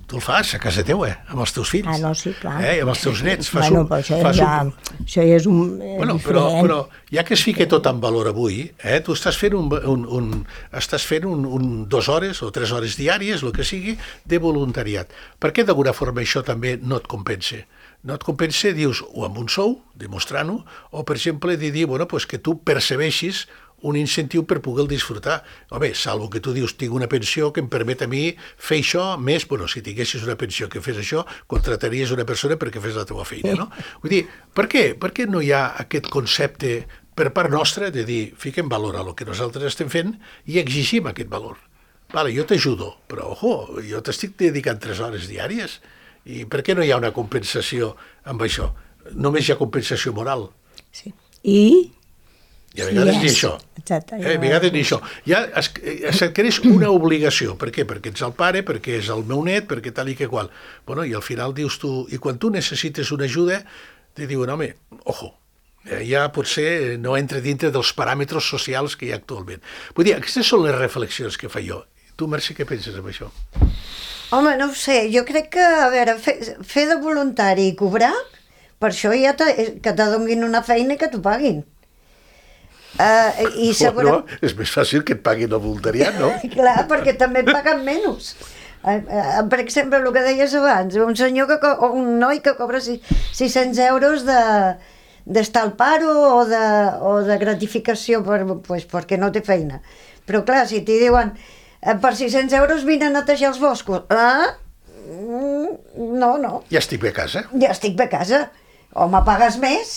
tu el fas a casa teua, amb els teus fills. Ah, no, sí, clar. Eh? Amb els teus nets. Fas Bueno, un, però això fas ja, un, això ja és un eh, Bueno, però, diferent. però ja que es fica tot en valor avui, eh, tu estàs fent, un, un, un, estàs fent un, un, dues hores o tres hores diàries, el que sigui, de voluntariat. Per què d'alguna forma això també no et compensa? No et compensa, dius, o amb un sou, demostrant-ho, o per exemple de dir, bueno, pues que tu percebeixis un incentiu per poder disfrutar. Home, salvo que tu dius, tinc una pensió que em permet a mi fer això més, bueno, si tinguessis una pensió que fes això, contrataries una persona perquè fes la teva feina, no? Vull dir, per què? Per què no hi ha aquest concepte per part nostra de dir, fiquem valor a el que nosaltres estem fent i exigim aquest valor? Vale, jo t'ajudo, però, ojo, jo t'estic dedicant tres hores diàries i per què no hi ha una compensació amb això? Només hi ha compensació moral. Sí. I... I a vegades Sí, ni és. això. Exacte. Eh, a vegades ni això. Ja es, es adquireix una obligació. Per què? Perquè ets el pare, perquè és el meu net, perquè tal i que qual. Bueno, i al final dius tu... I quan tu necessites una ajuda, te diuen, home, ojo, eh, ja potser no entra dintre dels paràmetres socials que hi ha actualment. Vull dir, aquestes són les reflexions que fa jo. Tu, Mercè, què penses amb això? Home, no ho sé, jo crec que, a veure, fer, fer de voluntari i cobrar, per això ja te, que te donin una feina i que t'ho paguin. Uh, i segurament... Bueno, és més fàcil que et paguin el voluntariat, no? Clar, perquè també et paguen menys. Uh, uh, per exemple, el que deies abans, un senyor que, co- o un noi que cobra si- sis-cents euros de d'estar al paro o de, o de gratificació per, pues, perquè no té feina. Però clar, si t'hi diuen eh, per sis-cents euros vine a netejar els boscos. Ah? Mm, no, no. Ja estic bé a casa. Ja estic bé a casa. O me pagues més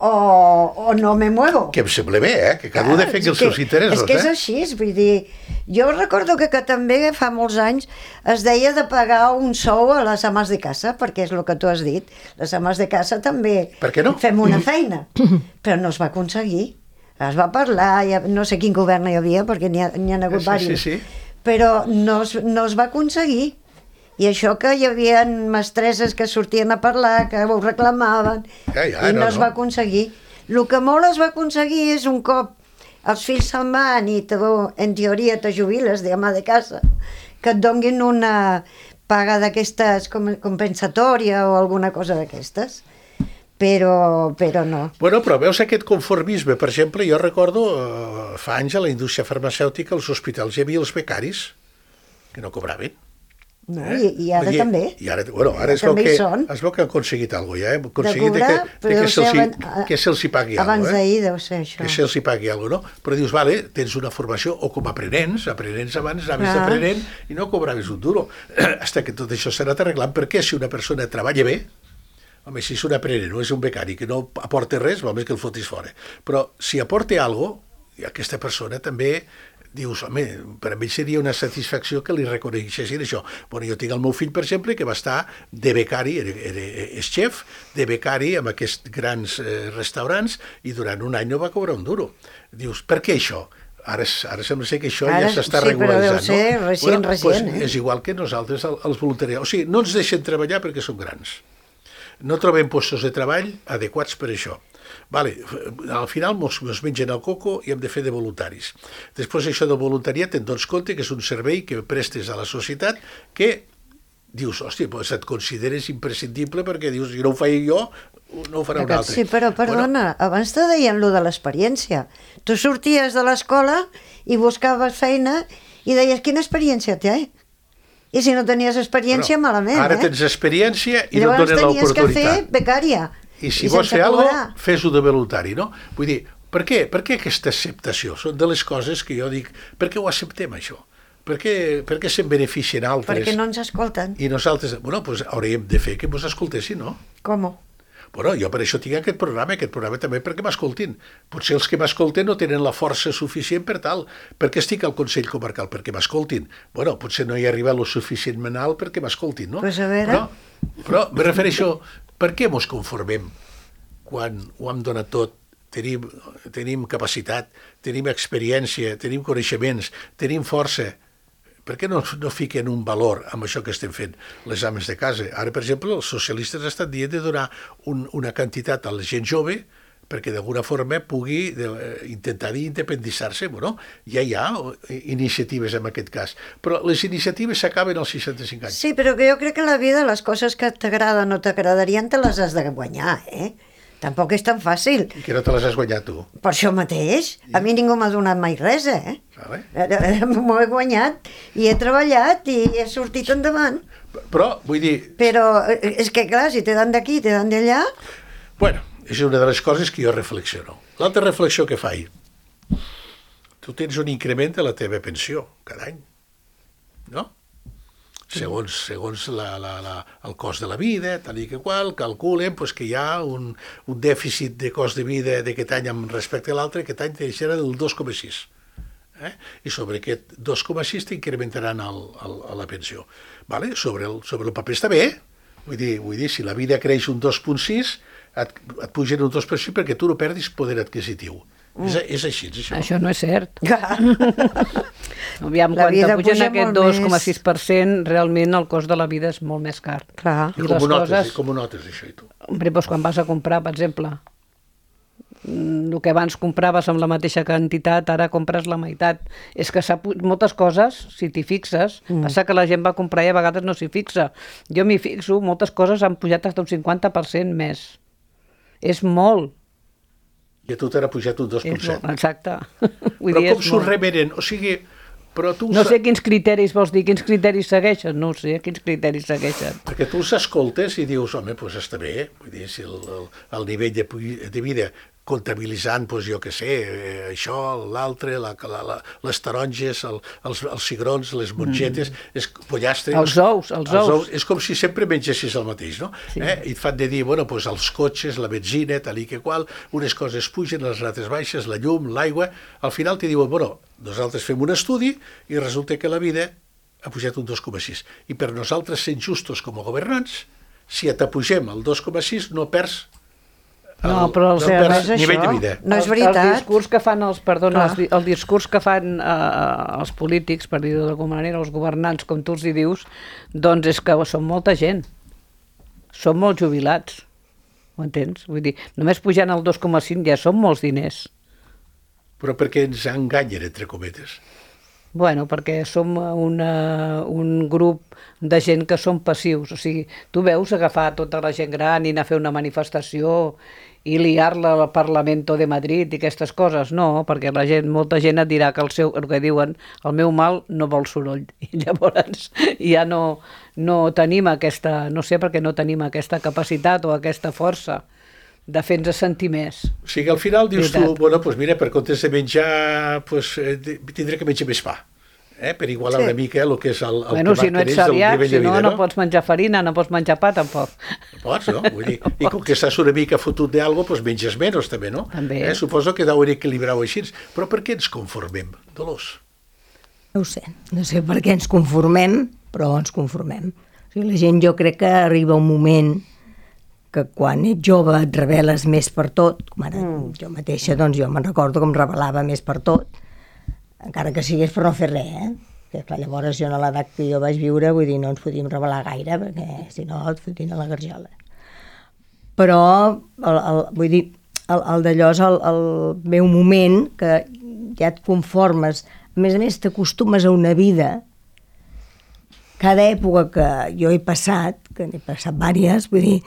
o, o no me muevo. Que em sembla bé, eh? Que cada un Clar, defengui és els que- seus interessos, És que és eh? així, vull dir, jo recordo que, que també fa molts anys es deia de pagar un sou a les ames de casa, perquè és el que tu has dit, les ames de casa també Per què no? fem una feina, però no es va aconseguir. Es va parlar, ja, no sé quin govern hi havia, perquè n'hi ha, n'hi ha hagut Sí, sí, diversos, sí. però no es, no es va aconseguir. I això que hi havia mestresses que sortien a parlar, que ho reclamaven, ja, ja, i no, no es no. va aconseguir. El que molt es va aconseguir és un cop els fills se'n van i tu, en teoria te jubiles de ama de casa, que et donguin una paga d'aquestes com, compensatòria o alguna cosa d'aquestes. Però, però no. Bueno, però veus aquest conformisme, per exemple, jo recordo eh, fa anys a la indústria farmacèutica, als hospitals hi havia els becaris que no cobraven. No, Eh? i, I ara Vull dir, també. I ara, bueno, ara es veu, També hi que, són. es veu que han aconseguit alguna cosa, ja, eh? Aconseguit De cobrar, de que, de però que se'ls deu ser hi- que se'ls hi pagui abans alguna cosa. d'ahir deu ser això. Que se'ls hi pagui alguna cosa, no? Però dius, vale, tens una formació, o com a aprenents, aprenents abans anaves Clar. d'aprenent i no cobraves un duro. Hasta que tot això s'ha anat arreglant, perquè si una persona treballa bé, home, si és un aprenent o és un becari que no aporta res, val més que el fotis fora. Però si aporta alguna cosa, aquesta persona també dius, home, per a mi seria una satisfacció que li reconeixessin això. Bueno, jo tinc el meu fill, per exemple, que va estar de becari, era, era, és xef, de becari amb aquests grans eh, restaurants, i durant un any no va cobrar un duro. Dius, per què això? Ara, ara sembla ser que això Ara, ja s'està sí, regularitzant, però deu ser no? recient, bueno, recient, doncs eh? és igual que nosaltres, el- els voluntariats. O sigui, no ens deixen treballar perquè som grans. No trobem llocs de treball adequats per això. Vale, al final mos, mos mengen el coco i hem de fer de voluntaris. Després això del voluntariat te'n dones compte que és un servei que prestes a la societat que dius, hòstia, doncs et consideres imprescindible perquè dius, si no ho faig jo, no ho farà un altre. Sí, però perdona, bueno, abans te deien lo de l'experiència. Tu sorties de l'escola i buscaves feina i deies, quina experiència té? I si no tenies experiència, Bueno, malament, ara eh? tens experiència i Llavors no et donen tenies que fer l'oportunitat. becària. I si i vols sense fer alguna cobrar. cosa, fes-ho de voluntari, no? Vull dir, per què? Per què aquesta acceptació? Són de les coses que jo dic, per què ho acceptem, això? Per què, per què se'n beneficien altres? Perquè no ens escolten. I nosaltres, bueno, doncs hauríem de fer que ens escoltessin, no? Com? Bueno, jo per això tinc aquest programa, aquest programa també perquè m'escoltin. Potser els que m'escolten no tenen la força suficient per tal. Per què estic al Consell Comarcal? Perquè m'escoltin. Bueno, potser no hi arriba lo suficientment alt perquè m'escoltin, no? Pues a veure. Però, però me refereixo, per què mos conformem quan ho hem donat tot? Tenim, tenim capacitat, tenim experiència, tenim coneixements, tenim força. Per què no, no fiquen un valor amb això que estem fent les ames de casa? Ara, per exemple, els socialistes estan dient de donar un, una quantitat a la gent jove perquè d'alguna forma pugui de, intentar independitzar-se. Bueno, ja hi ha iniciatives en aquest cas, però les iniciatives s'acaben als seixanta-cinc anys. Sí, però que jo crec que a la vida les coses que t'agraden o t'agradarien te les has de guanyar, eh? Tampoc és tan fàcil. I que no te les has guanyat tu. Per això mateix. A mi ningú m'ha donat mai res, eh? Vale. M'ho he guanyat i he treballat i he sortit endavant. Però, vull dir... Però és que, clar, si te dan d'aquí, te dan d'allà... Bueno, és una de les coses que jo reflexiono. L'altra reflexió que faig, tu tens un increment de la teva pensió cada any, no? Segons, segons la, la, la, el cost de la vida, tal i que qual, calculen pues, que hi ha un, un dèficit de cost de vida d'aquest any amb respecte a l'altre, aquest any serà del dos coma sis. Eh? I sobre aquest dos coma sis t'incrementaran el, el, la pensió. Vale? Sobre, el, sobre el paper està bé, vull dir, vull dir, si la vida creix un dos coma sis, et, et pugen un dos per cent perquè tu no perdis poder adquisitiu. Mm. És, és així, és això. Això no és cert. Clar. Aviam, La quan vida te pugen puja aquest molt dos coma més. sis per cent, realment el cost de la vida és molt més car. Clar. I I com les ho notes, coses- com ho notes, això, i tu? Hombre, doncs quan vas a comprar, per exemple, mm, el que abans compraves amb la mateixa quantitat, ara compres la meitat. És que s'ha pu- moltes coses, si t'hi fixes, mm. passa que la gent va comprar i a vegades no s'hi fixa. Jo m'hi fixo, moltes coses han pujat fins a un cinquanta per cent més. És molt. I a tu t'ha pujat un dos coma És set. molt, exacte. Vull Però dir, com és s'ho molt. remenen? O sigui, però tu... No sa- sé quins criteris vols dir, quins criteris segueixen, no ho sé, quins criteris segueixen. Perquè tu els escoltes i dius, home, doncs està bé, vull dir, si el, el, el nivell de, pu- de vida comptabilitzant, doncs jo què sé, eh, això, l'altre, la, la, la, les taronges, el, els, els cigrons, les mongetes, mm. és pollastre... Els ous, els ous. És com si sempre mengessis el mateix, no? Sí. Eh? I et fan de dir, bueno, doncs els cotxes, la benzina, tal i que qual, unes coses pugen, les altres baixes, la llum, l'aigua, al final te diuen, bueno, nosaltres fem un estudi i resulta que la vida ha pujat un dos coma sis. I per nosaltres, sent justos com a governants, si t'apugem el dos coma sis no perds No, però els, no perds no és nivell això. de vida. No és el, veritat. El discurs que fan els, perdona, Clar. els, el discurs que fan eh, els polítics, per dir-ho d'alguna manera, els governants, com tu els hi dius, doncs és que són molta gent. Són molt jubilats. Ho entens? Vull dir, només pujant el dos coma cinc ja són molts diners. Però perquè ens enganyen, entre cometes. Bueno, perquè som una, un grup de gent que són passius. O sigui, tu veus agafar tota la gent gran i anar a fer una manifestació i liar-la al Parlamento de Madrid i aquestes coses. No, perquè la gent, molta gent et dirà que el seu, el que diuen, el meu mal no vol soroll. I llavors ja no, no tenim aquesta, no sé per què no tenim aquesta capacitat o aquesta força de fer-nos sentir més. O sigui, al final dius Veritat. tu, bueno, pues mira, per comptes de menjar, pues, eh, tindré que menjar més pa, eh, per igualar Sí. una mica el que és el, el Bueno, que si no ets marca el celíac, nivell si de no, vida, no pots menjar farina, no pots menjar pa, tampoc. No pots, no? Vull dir, i com que estàs una mica fotut d'algo, pues menges menys també, no? També. Eh, suposo que deu equilibrar-ho així. Però per què ens conformem, Dolors? No ho sé, no sé per què ens conformem, però ens conformem. O sigui, la gent, jo crec que arriba un moment que quan ets jove et reveles més per tot, com ara mm. jo mateixa, doncs jo me'n recordo que em revelava més per tot, encara que sigués per no fer res, eh? Que clar, llavors jo a l'edat que jo vaig viure, vull dir, no ens podíem revelar gaire, perquè si no et fotien a la garjola. Però, el, el, vull dir, el, el d'allò és el, el meu moment que ja et conformes, a més a més t'acostumes a una vida. Cada època que jo he passat, que n'he passat diverses, vull dir,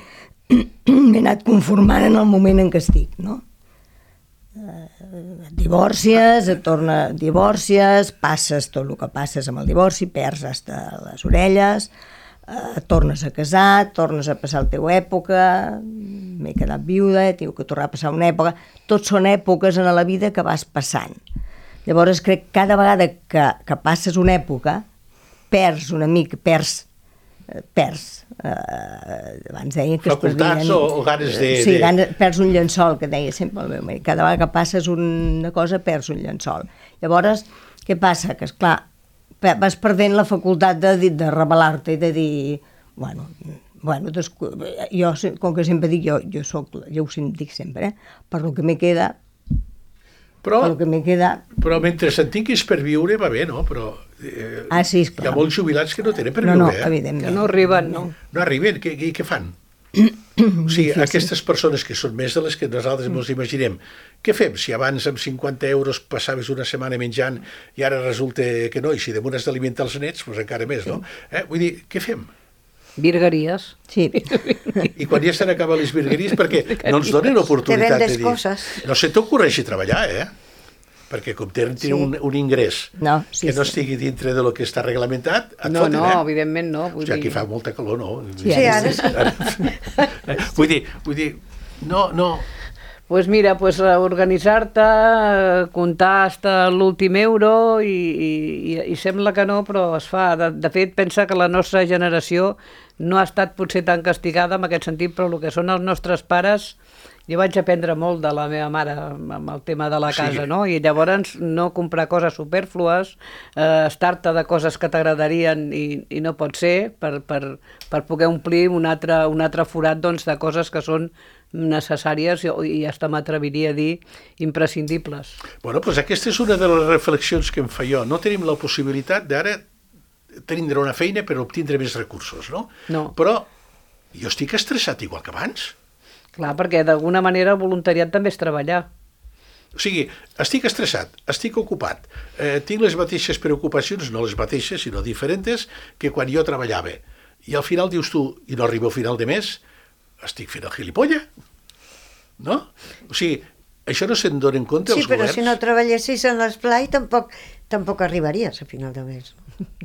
m'he anat conformant en el moment en què estic, no? Et divorcies, et torna, divorcies, passes tot el que passes amb el divorci, perds hasta les orelles, et tornes a casar, tornes a passar la teva època, m'he quedat viuda, he tingut que tornar a passar una època, tot són èpoques en la vida que vas passant. Llavors crec que cada vegada que, que passes una època, perds una mica, perds, perds, eh, abans deia que facultats o, o ganes de... Sí, de... ganes, perds un llençol, que deia sempre el meu marit, cada vegada que passes una cosa perds un llençol. Llavors, què passa? Que esclar, vas perdent la facultat de, de revelar-te i de dir, bueno, bueno doncs, jo, com que sempre dic, jo, jo soc, jo ho dic sempre, eh? Per lo que me queda, Però, per lo que me queda... però mentre se'n tinguis per viure va bé, no? Però eh, ah, sí, esclar. hi ha molts jubilats que no tenen per no, viure, no, eh? evidentment. Que no arriben, no. No arriben, què, què, què fan? O sigui, aquestes persones que són més de les que nosaltres ens imaginem, què fem? Si abans amb cinquanta euros passaves una setmana menjant i ara resulta que no, i si damunt has d'alimentar els nets, doncs encara més, no? Eh? Vull dir, què fem? Virgueries. Sí. I quan ja estan acabant les virgueries, perquè no ens donen oportunitat Te de vendes dir... coses. No se t'ocorreixi treballar, eh? Perquè com tenen sí. un, un ingrés No, sí, que no sí. estigui dintre de lo que està reglamentat, et No, foten, no, eh? evidentment no. Vull O sigui, aquí dir... fa molta calor, no? Sí, ara sí. Vull dir, vull dir, no, no... Pues mira, pues organitzar-te, comptar hasta l'últim euro i, i, i sembla que no, però es fa. De, de fet, pensa que la nostra generació no ha estat potser tan castigada en aquest sentit, però el que són els nostres pares, jo vaig aprendre molt de la meva mare amb el tema de la casa, Sí. no? I llavors no comprar coses supèrflues, eh, estar-te de coses que t'agradarien i, i no pot ser per, per, per poder omplir un altre, un altre forat doncs, de coses que són necessàries i, i hasta m'atreviria a dir imprescindibles. Bueno, doncs aquesta és una de les reflexions que em fa jo. No tenim la possibilitat d'ara tindre una feina per obtindre més recursos, no? No. Però jo estic estressat igual que abans. Clar, perquè d'alguna manera el voluntariat també és treballar. O sigui, estic estressat, estic ocupat, eh, tinc les mateixes preocupacions, no les mateixes, sinó diferents, que quan jo treballava. I al final dius tu, i no arribo a final de mes, estic fent el gilipolla, no? O sigui, això no se'n donen compte Sí, els però governs. si no treballessis en l'esplai tampoc, tampoc arribaries a final de mes.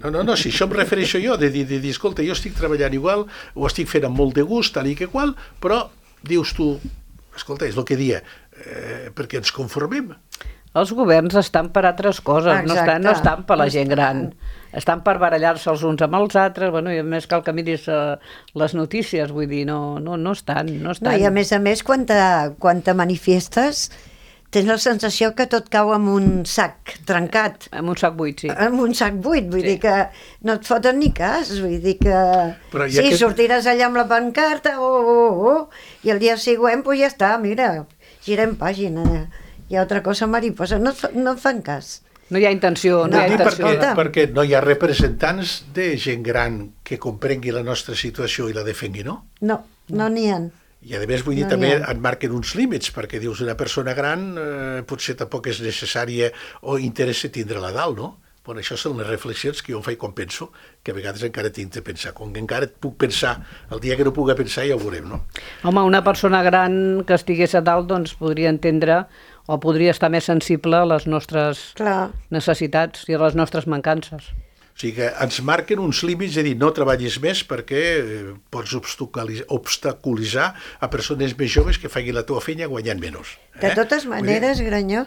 No, no, no, si això em refereixo jo, de dir, de dir, escolta, jo estic treballant igual, ho estic fent amb molt de gust, tal i que qual, però dius tu, escolta, és el que dia, eh, perquè ens conformem. Els governs estan per altres coses, no estan, no estan per la gent gran. Estan per barallar-se els uns amb els altres, bueno, i a més cal que miris uh, les notícies, vull dir, no, no, no estan, no estan. No, i a més a més, quan te, quan te manifestes, tens la sensació que tot cau en un sac trencat. Amb un sac buit, sí. En un sac buit, vull Sí. dir que no et foten ni cas, vull dir que... Però i sí, aquest- sortiràs allà amb la pancarta, oh, oh, oh, i el dia següent, pues ja està, mira, girem pàgina, hi ha altra cosa mariposa, no, et fa- no et fan cas. No hi ha intenció, no, No, hi ha Dic intenció. perquè, escolta. perquè no hi ha representants de gent gran que comprengui la nostra situació i la defengui, no? No, no n'hi ha. I a més vull dir, No també n'hi ha. et marquen uns límits, perquè dius una persona gran eh, potser tampoc és necessària o interessa tindre-la dalt, no? Bueno, això són les reflexions que jo em faig quan penso, que a vegades encara tinc de pensar. Com que encara et puc pensar, el dia que no pugui pensar ja ho veurem, no? Home, una persona gran que estigués a dalt doncs podria entendre o podria estar més sensible a les nostres Clar, necessitats i a les nostres mancances. O sigui que ens marquen uns límits de dir no treballis més perquè eh, pots obstaculitzar, obstaculitzar a persones més joves que facin la teva feina guanyant menys. de totes maneres, Granyó,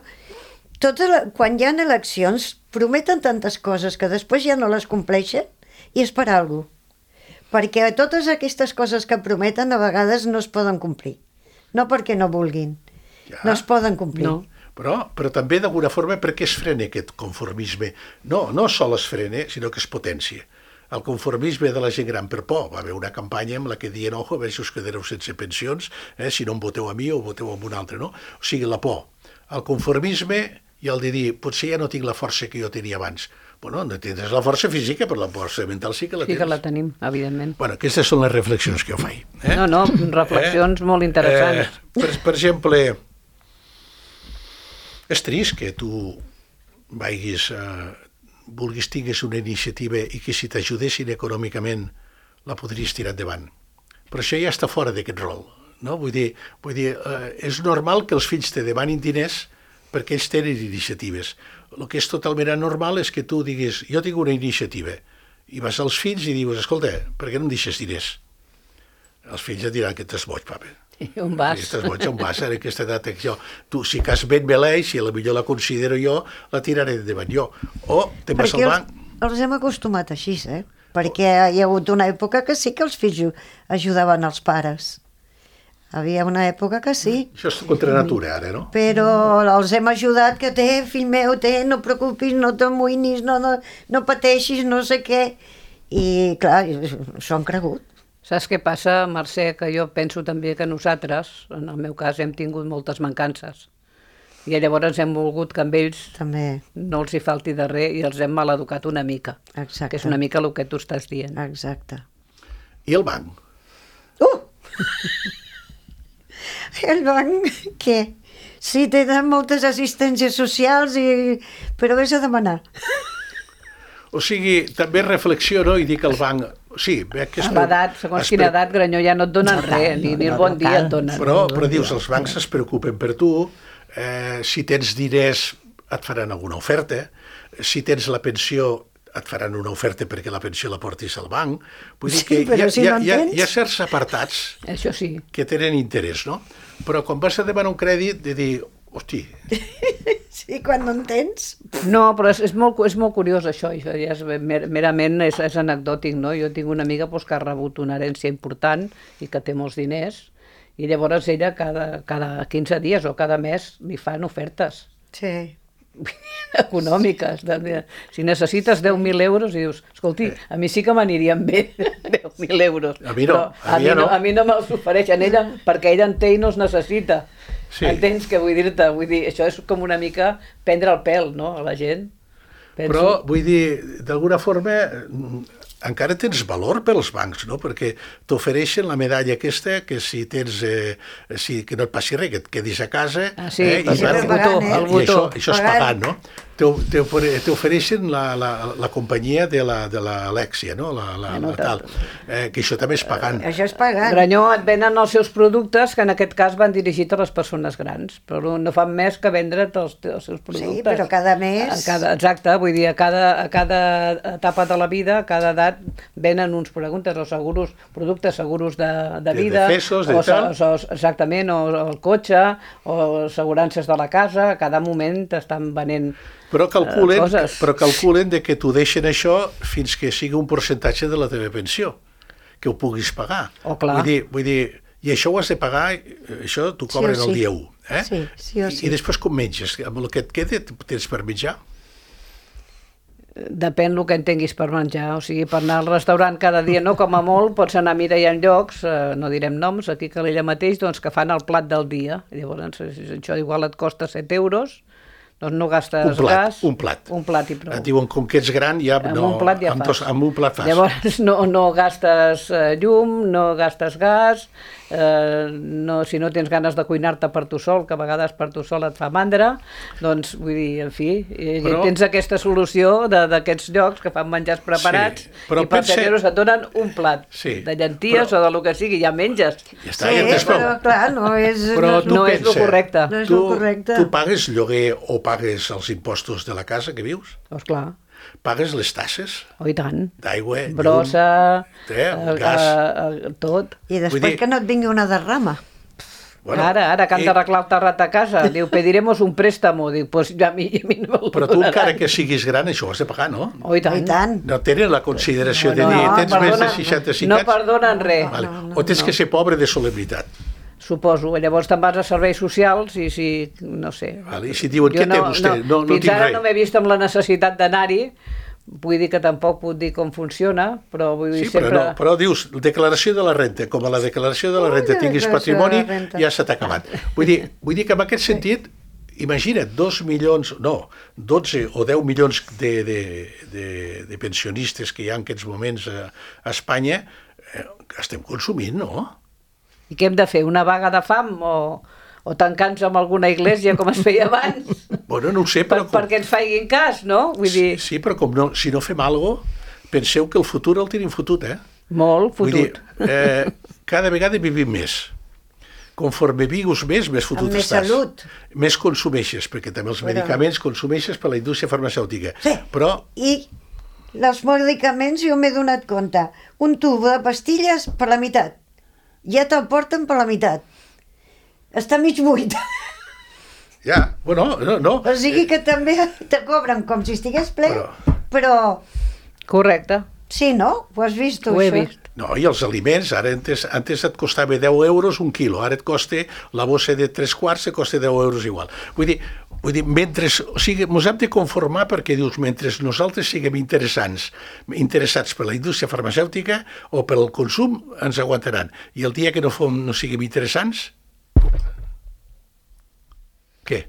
tota la, quan hi ha eleccions prometen tantes coses que després ja no les compleixen i és per alguna cosa. Perquè totes aquestes coses que prometen a vegades no es poden complir. No perquè no vulguin, Ja. no es poden complir. No. Però, però també d'alguna forma per què es frena aquest conformisme? No, no sol es frena, sinó que es potència. El conformisme de la gent gran per por. Va haver una campanya amb la que diuen, ojo, a veure si us quedareu sense pensions, eh, si no em voteu a mi o voteu a un altre, no? O sigui, la por. El conformisme i el de dir, potser ja no tinc la força que jo tenia abans. Bueno, no tindràs la força física, però la força mental sí que la Sí tens. que la tenim, evidentment. Bueno, aquestes són les reflexions que jo faig. Eh? No, no, reflexions molt interessants. Eh, per, per exemple, és trist que tu vagis, eh, vulguis, tinguis una iniciativa i que si t'ajudessin econòmicament la podries tirar endavant. Però això ja està fora d'aquest rol. No? Vull dir, vull dir eh, és normal que els fills te demanin diners perquè ells tenen iniciatives. El que és totalment anormal és que tu diguis, jo tinc una iniciativa, i vas als fills i dius, escolta, per què no em deixes diners? Els fills et diran que t'has boig, papa. I on vas? Si estàs boig, on vas, en aquesta edat? Jo, tu, si cas ben beleix, si a la millor la considero jo, la tiraré endavant jo. O te'n vas Perquè al els, banc. els hem acostumat així, eh? Perquè hi ha hagut una època que sí que els fills ajudaven els pares. Havia una època que sí, Això és contra natura, ara, no? però els hem ajudat, que té, fill meu, té, no et preocupis, no t'amoïnis, no, no, no pateixis, no sé què. I, clar, s'ho han cregut. Saps què passa, Mercè? Que jo penso també que nosaltres, en el meu cas, hem tingut moltes mancances. I llavors hem volgut que amb ells També, no els hi falti de res i els hem maleducat una mica. exacte. Que és una mica el que tu estàs dient. Exacte. I el banc? Uh! El banc, què? Sí, tenen moltes assistències socials, i... però vés a demanar. O sigui, també reflexiono i dic al banc, sí, veig que... es A pre- l'edat, segons es quina pre- edat, Granyó, ja no et donen No cal, res, ni, no, ni el no, bon no dia cal. et donen. Però, però dius, els bancs es preocupen per tu, eh, si tens diners et faran alguna oferta, si tens la pensió et faran una oferta perquè la pensió la portis al banc. Vull dir Sí, que però hi ha, si hi, ha, no en hi, ha, tens. hi ha certs apartats Això sí. que tenen interès, no? Però quan vas a demanar un crèdit, de dir, hosti, Sí, quan no en tens. No, però és, és, molt, és molt curiós això, això ja és, mer, merament és, és anecdòtic, no? Jo tinc una amiga doncs, que ha rebut una herència important i que té molts diners, i llavors ella cada, cada quinze dies o cada mes li fan ofertes Sí. econòmiques. De, de, si necessites deu mil euros, i dius, escolti, a mi sí que m'anirien bé deu mil euros. A mi no, però a mi ja no. A mi no me'ls ofereixen ella, perquè ella en té i no els necessita. Sí. Entens què vull dir-te? Vull dir, això és com una mica prendre el pèl, no?, a la gent. Penso. però vull dir, d'alguna forma, mm, encara tens valor per als bancs, no? Perquè t'ofereixen la medalla aquesta que si tens, eh, si, que no et passi res, que et quedis a casa... Ah, sí, eh, perquè van- el botó, eh? el I això, botó. això és Pagant. pagant, no? T'o- t'ofere- T'ofereixen la, la, la companyia de la, de l'Alexia, no? La, la, Bueno, la tal. Eh, que això també és pagant. Això és pagant. Granyó, et venen els seus productes, que en aquest cas van dirigits a les persones grans, però no fan més que vendre't els, els seus productes. Sí, però cada mes- A cada, exacte, vull dir, a cada, a cada etapa de la vida, a cada edat, venen uns productes, o seguros, productes seguros de, de De vida, defesos, de o, tal. o, exactament, o, o el cotxe, o assegurances de la casa, a cada moment t'estan venent Però calculen, eh, coses. però calculen de que t'ho deixen això fins que sigui un percentatge de la teva pensió, que ho puguis pagar. Oh, clar. Vull dir, vull dir, i això ho has de pagar, eh, això t'ho cobren Sí o el sí. dia u. Eh? Sí, sí o sí. I, I després com menges? Amb el que et queda tens per menjar? Depèn el que entenguis per menjar, o sigui, per anar al restaurant cada dia, no, com a molt, pots anar a mirar hi ha llocs, eh, no direm noms, aquí a Calella mateix, doncs que fan el plat del dia. Llavors, si això igual et costa set euros, doncs no gastes un plat, gas. Un plat, un plat i prou. Et diuen, com que ets gran, ja amb no... Un plat ja amb, fas. dos, amb un plat fas. Llavors no, no gastes eh, llum, no gastes gas, eh, no, si no tens ganes de cuinar-te per tu sol, que a vegades per tu sol et fa mandra, doncs vull dir, en fi, però, tens aquesta solució d'aquests llocs que fan menjars preparats, sí, i per set euros et donen un plat sí, de llenties però, o de lo que sigui, ja menges. Ja està, sí, ja però clar, no és, però no, no és el correcte. No és tu, el correcte. Tu pagues lloguer o pagues els impostos de la casa que vius? Doncs clar. Pagues les tasses? Oh, i tant. D'aigua, brossa, llum, eh, gas... Eh, eh, tot. I després dir... que no et vingui una derrama. Bueno, ara, ara que han d'arreglar el terrat a casa, diu, pediremos un préstamo, diu, pues ja a mi, a mi no me'l però tu encara que siguis gran això ho has de pagar, no? Oh, i tant. I tant. No tenen la consideració no, no, de dir, no, tens perdona, més de seixanta-cinc no anys? No perdonen res. Vale. No, no, o tens no. que ser pobre de solemnitat. Suposo, llavors te'n vas a serveis socials i si, no sé... Vale. I si diuen, què no, té vostè? No, no, no fins ara res. no m'he vist amb la necessitat d'anar-hi, vull dir que tampoc puc dir com funciona, però vull dir sí, sempre... però, no, però dius, declaració de la renta, com a la declaració de la renta tinguis patrimoni, ja se t'ha acabat. Vull dir, vull dir que en aquest sentit, imagina't, dos milions, no, dotze o deu milions de, de, de, de pensionistes que hi ha en aquests moments a, a Espanya, eh, estem consumint, no? I què hem de fer, una vaga de fam o, o tancar-nos en alguna església com es feia abans? Bueno, no ho sé, però... Per, com... Perquè ens facin cas, no? Vull dir... Sí, sí, però com no, si no fem alguna cosa, penseu que el futur el tenim fotut, eh? Molt fotut. Vull dir, eh, cada vegada vivim més. Conforme vivus més, més fotut amb més estàs. salut. Més consumeixes, perquè també els però... medicaments consumeixes per la indústria farmacèutica. Sí, però... i els medicaments jo m'he donat compte. Un tub de pastilles per la meitat. Ja te'l porten per la meitat. Està mig buit. Ja, bueno, no, no. O sigui que també te cobren com si estigués ple, però... però... Correcte. Sí, no? Ho has vist, tu, Ho he això? vist. No, i els aliments, ara antes, antes et costava deu euros un quilo, ara et costa la bossa de tres quarts, et costa deu euros igual. Vull dir, vull dir mentre, o sigui, ens hem de conformar perquè dius, mentre nosaltres siguem interessants, interessats per la indústria farmacèutica o pel consum, ens aguantaran. I el dia que no, fom, no siguem interessants, què?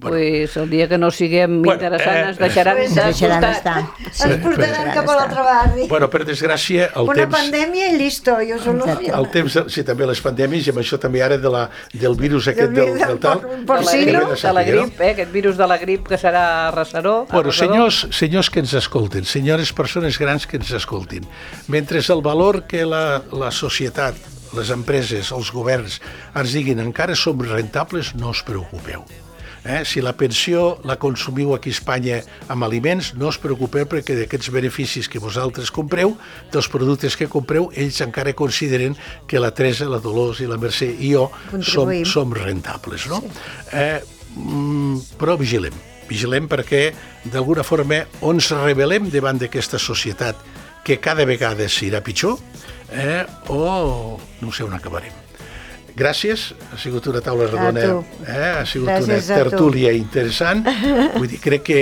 Bueno. Pues el dia que no siguem bueno, interessants eh, ens deixaran, eh, de deixaran estar. estar. Ens portaran cap a l'altre barri. Bueno, per desgràcia, el Una temps... pandèmia i listo, jo soluciono. El temps, sí, també les pandèmies, i amb això també ara de la, del virus aquest del, del, del tal... De la, grip, de la grip, eh, aquest virus de la grip que serà arrasador. Bueno, senyors, senyors que ens escolten, senyores persones grans que ens escoltin, mentre el valor que la, la societat, les empreses, els governs ens diguin encara som rentables, no us preocupeu. Eh? Si la pensió la consumiu aquí a Espanya amb aliments, no us preocupeu perquè d'aquests beneficis que vosaltres compreu, dels productes que compreu, ells encara consideren que la Teresa, la Dolors i la Mercè i jo som, som rentables, no? Sí. Eh, mm, però vigilem, vigilem perquè d'alguna forma o ens rebel·lem davant d'aquesta societat que cada vegada s'irà pitjor, eh, o no sé on acabarem. Gràcies, ha sigut una taula redona, eh? Ha sigut Gràcies una tertúlia interessant. Vull dir, crec que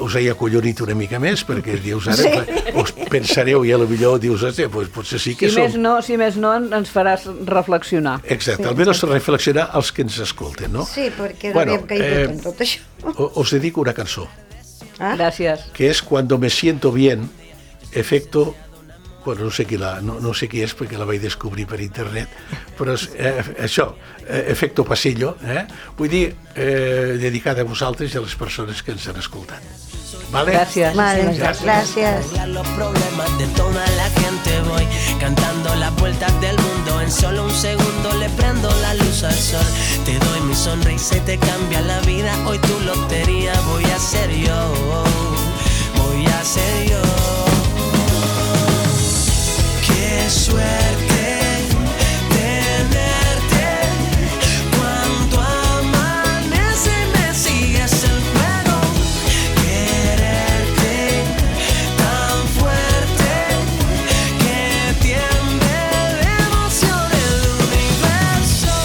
us he acollonit una mica més, perquè dius ara, sí. Us pensareu i potser dius, pues, potser sí que si som... Més no, si més no, ens faràs reflexionar. Exacte, sí. Almenys reflexionar els que ens escolten, no? Sí, perquè no bueno, havíem caigut eh, en tot això. Us dedico una cançó. Ah? Gràcies. Que és Cuando me siento bien, efecto... Bueno, no sé qui la, no, no sé qui és perquè la vaig descobrir per internet, però és eh, això, eh, efecto pasillo, eh? Vull dir, eh, dedicada a vosaltres i a les persones que ens han escoltat. ¿Vale? Gracias. Vale, gracias. Gracias. Los problemas de toda la gente voy cantando las vueltas del mundo. En solo un segundo le prendo la luz al sol. Te doy mi sonrisa y te cambia la vida. Hoy tu lotería voy a ser yo. Voy a ser yo. Qué suerte tenerte. Cuando amanece me sigues el juego. Quererte tan fuerte que tiembla de emoción el universo.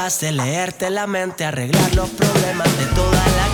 capaz de leerte la mente, arreglar los problemas de toda la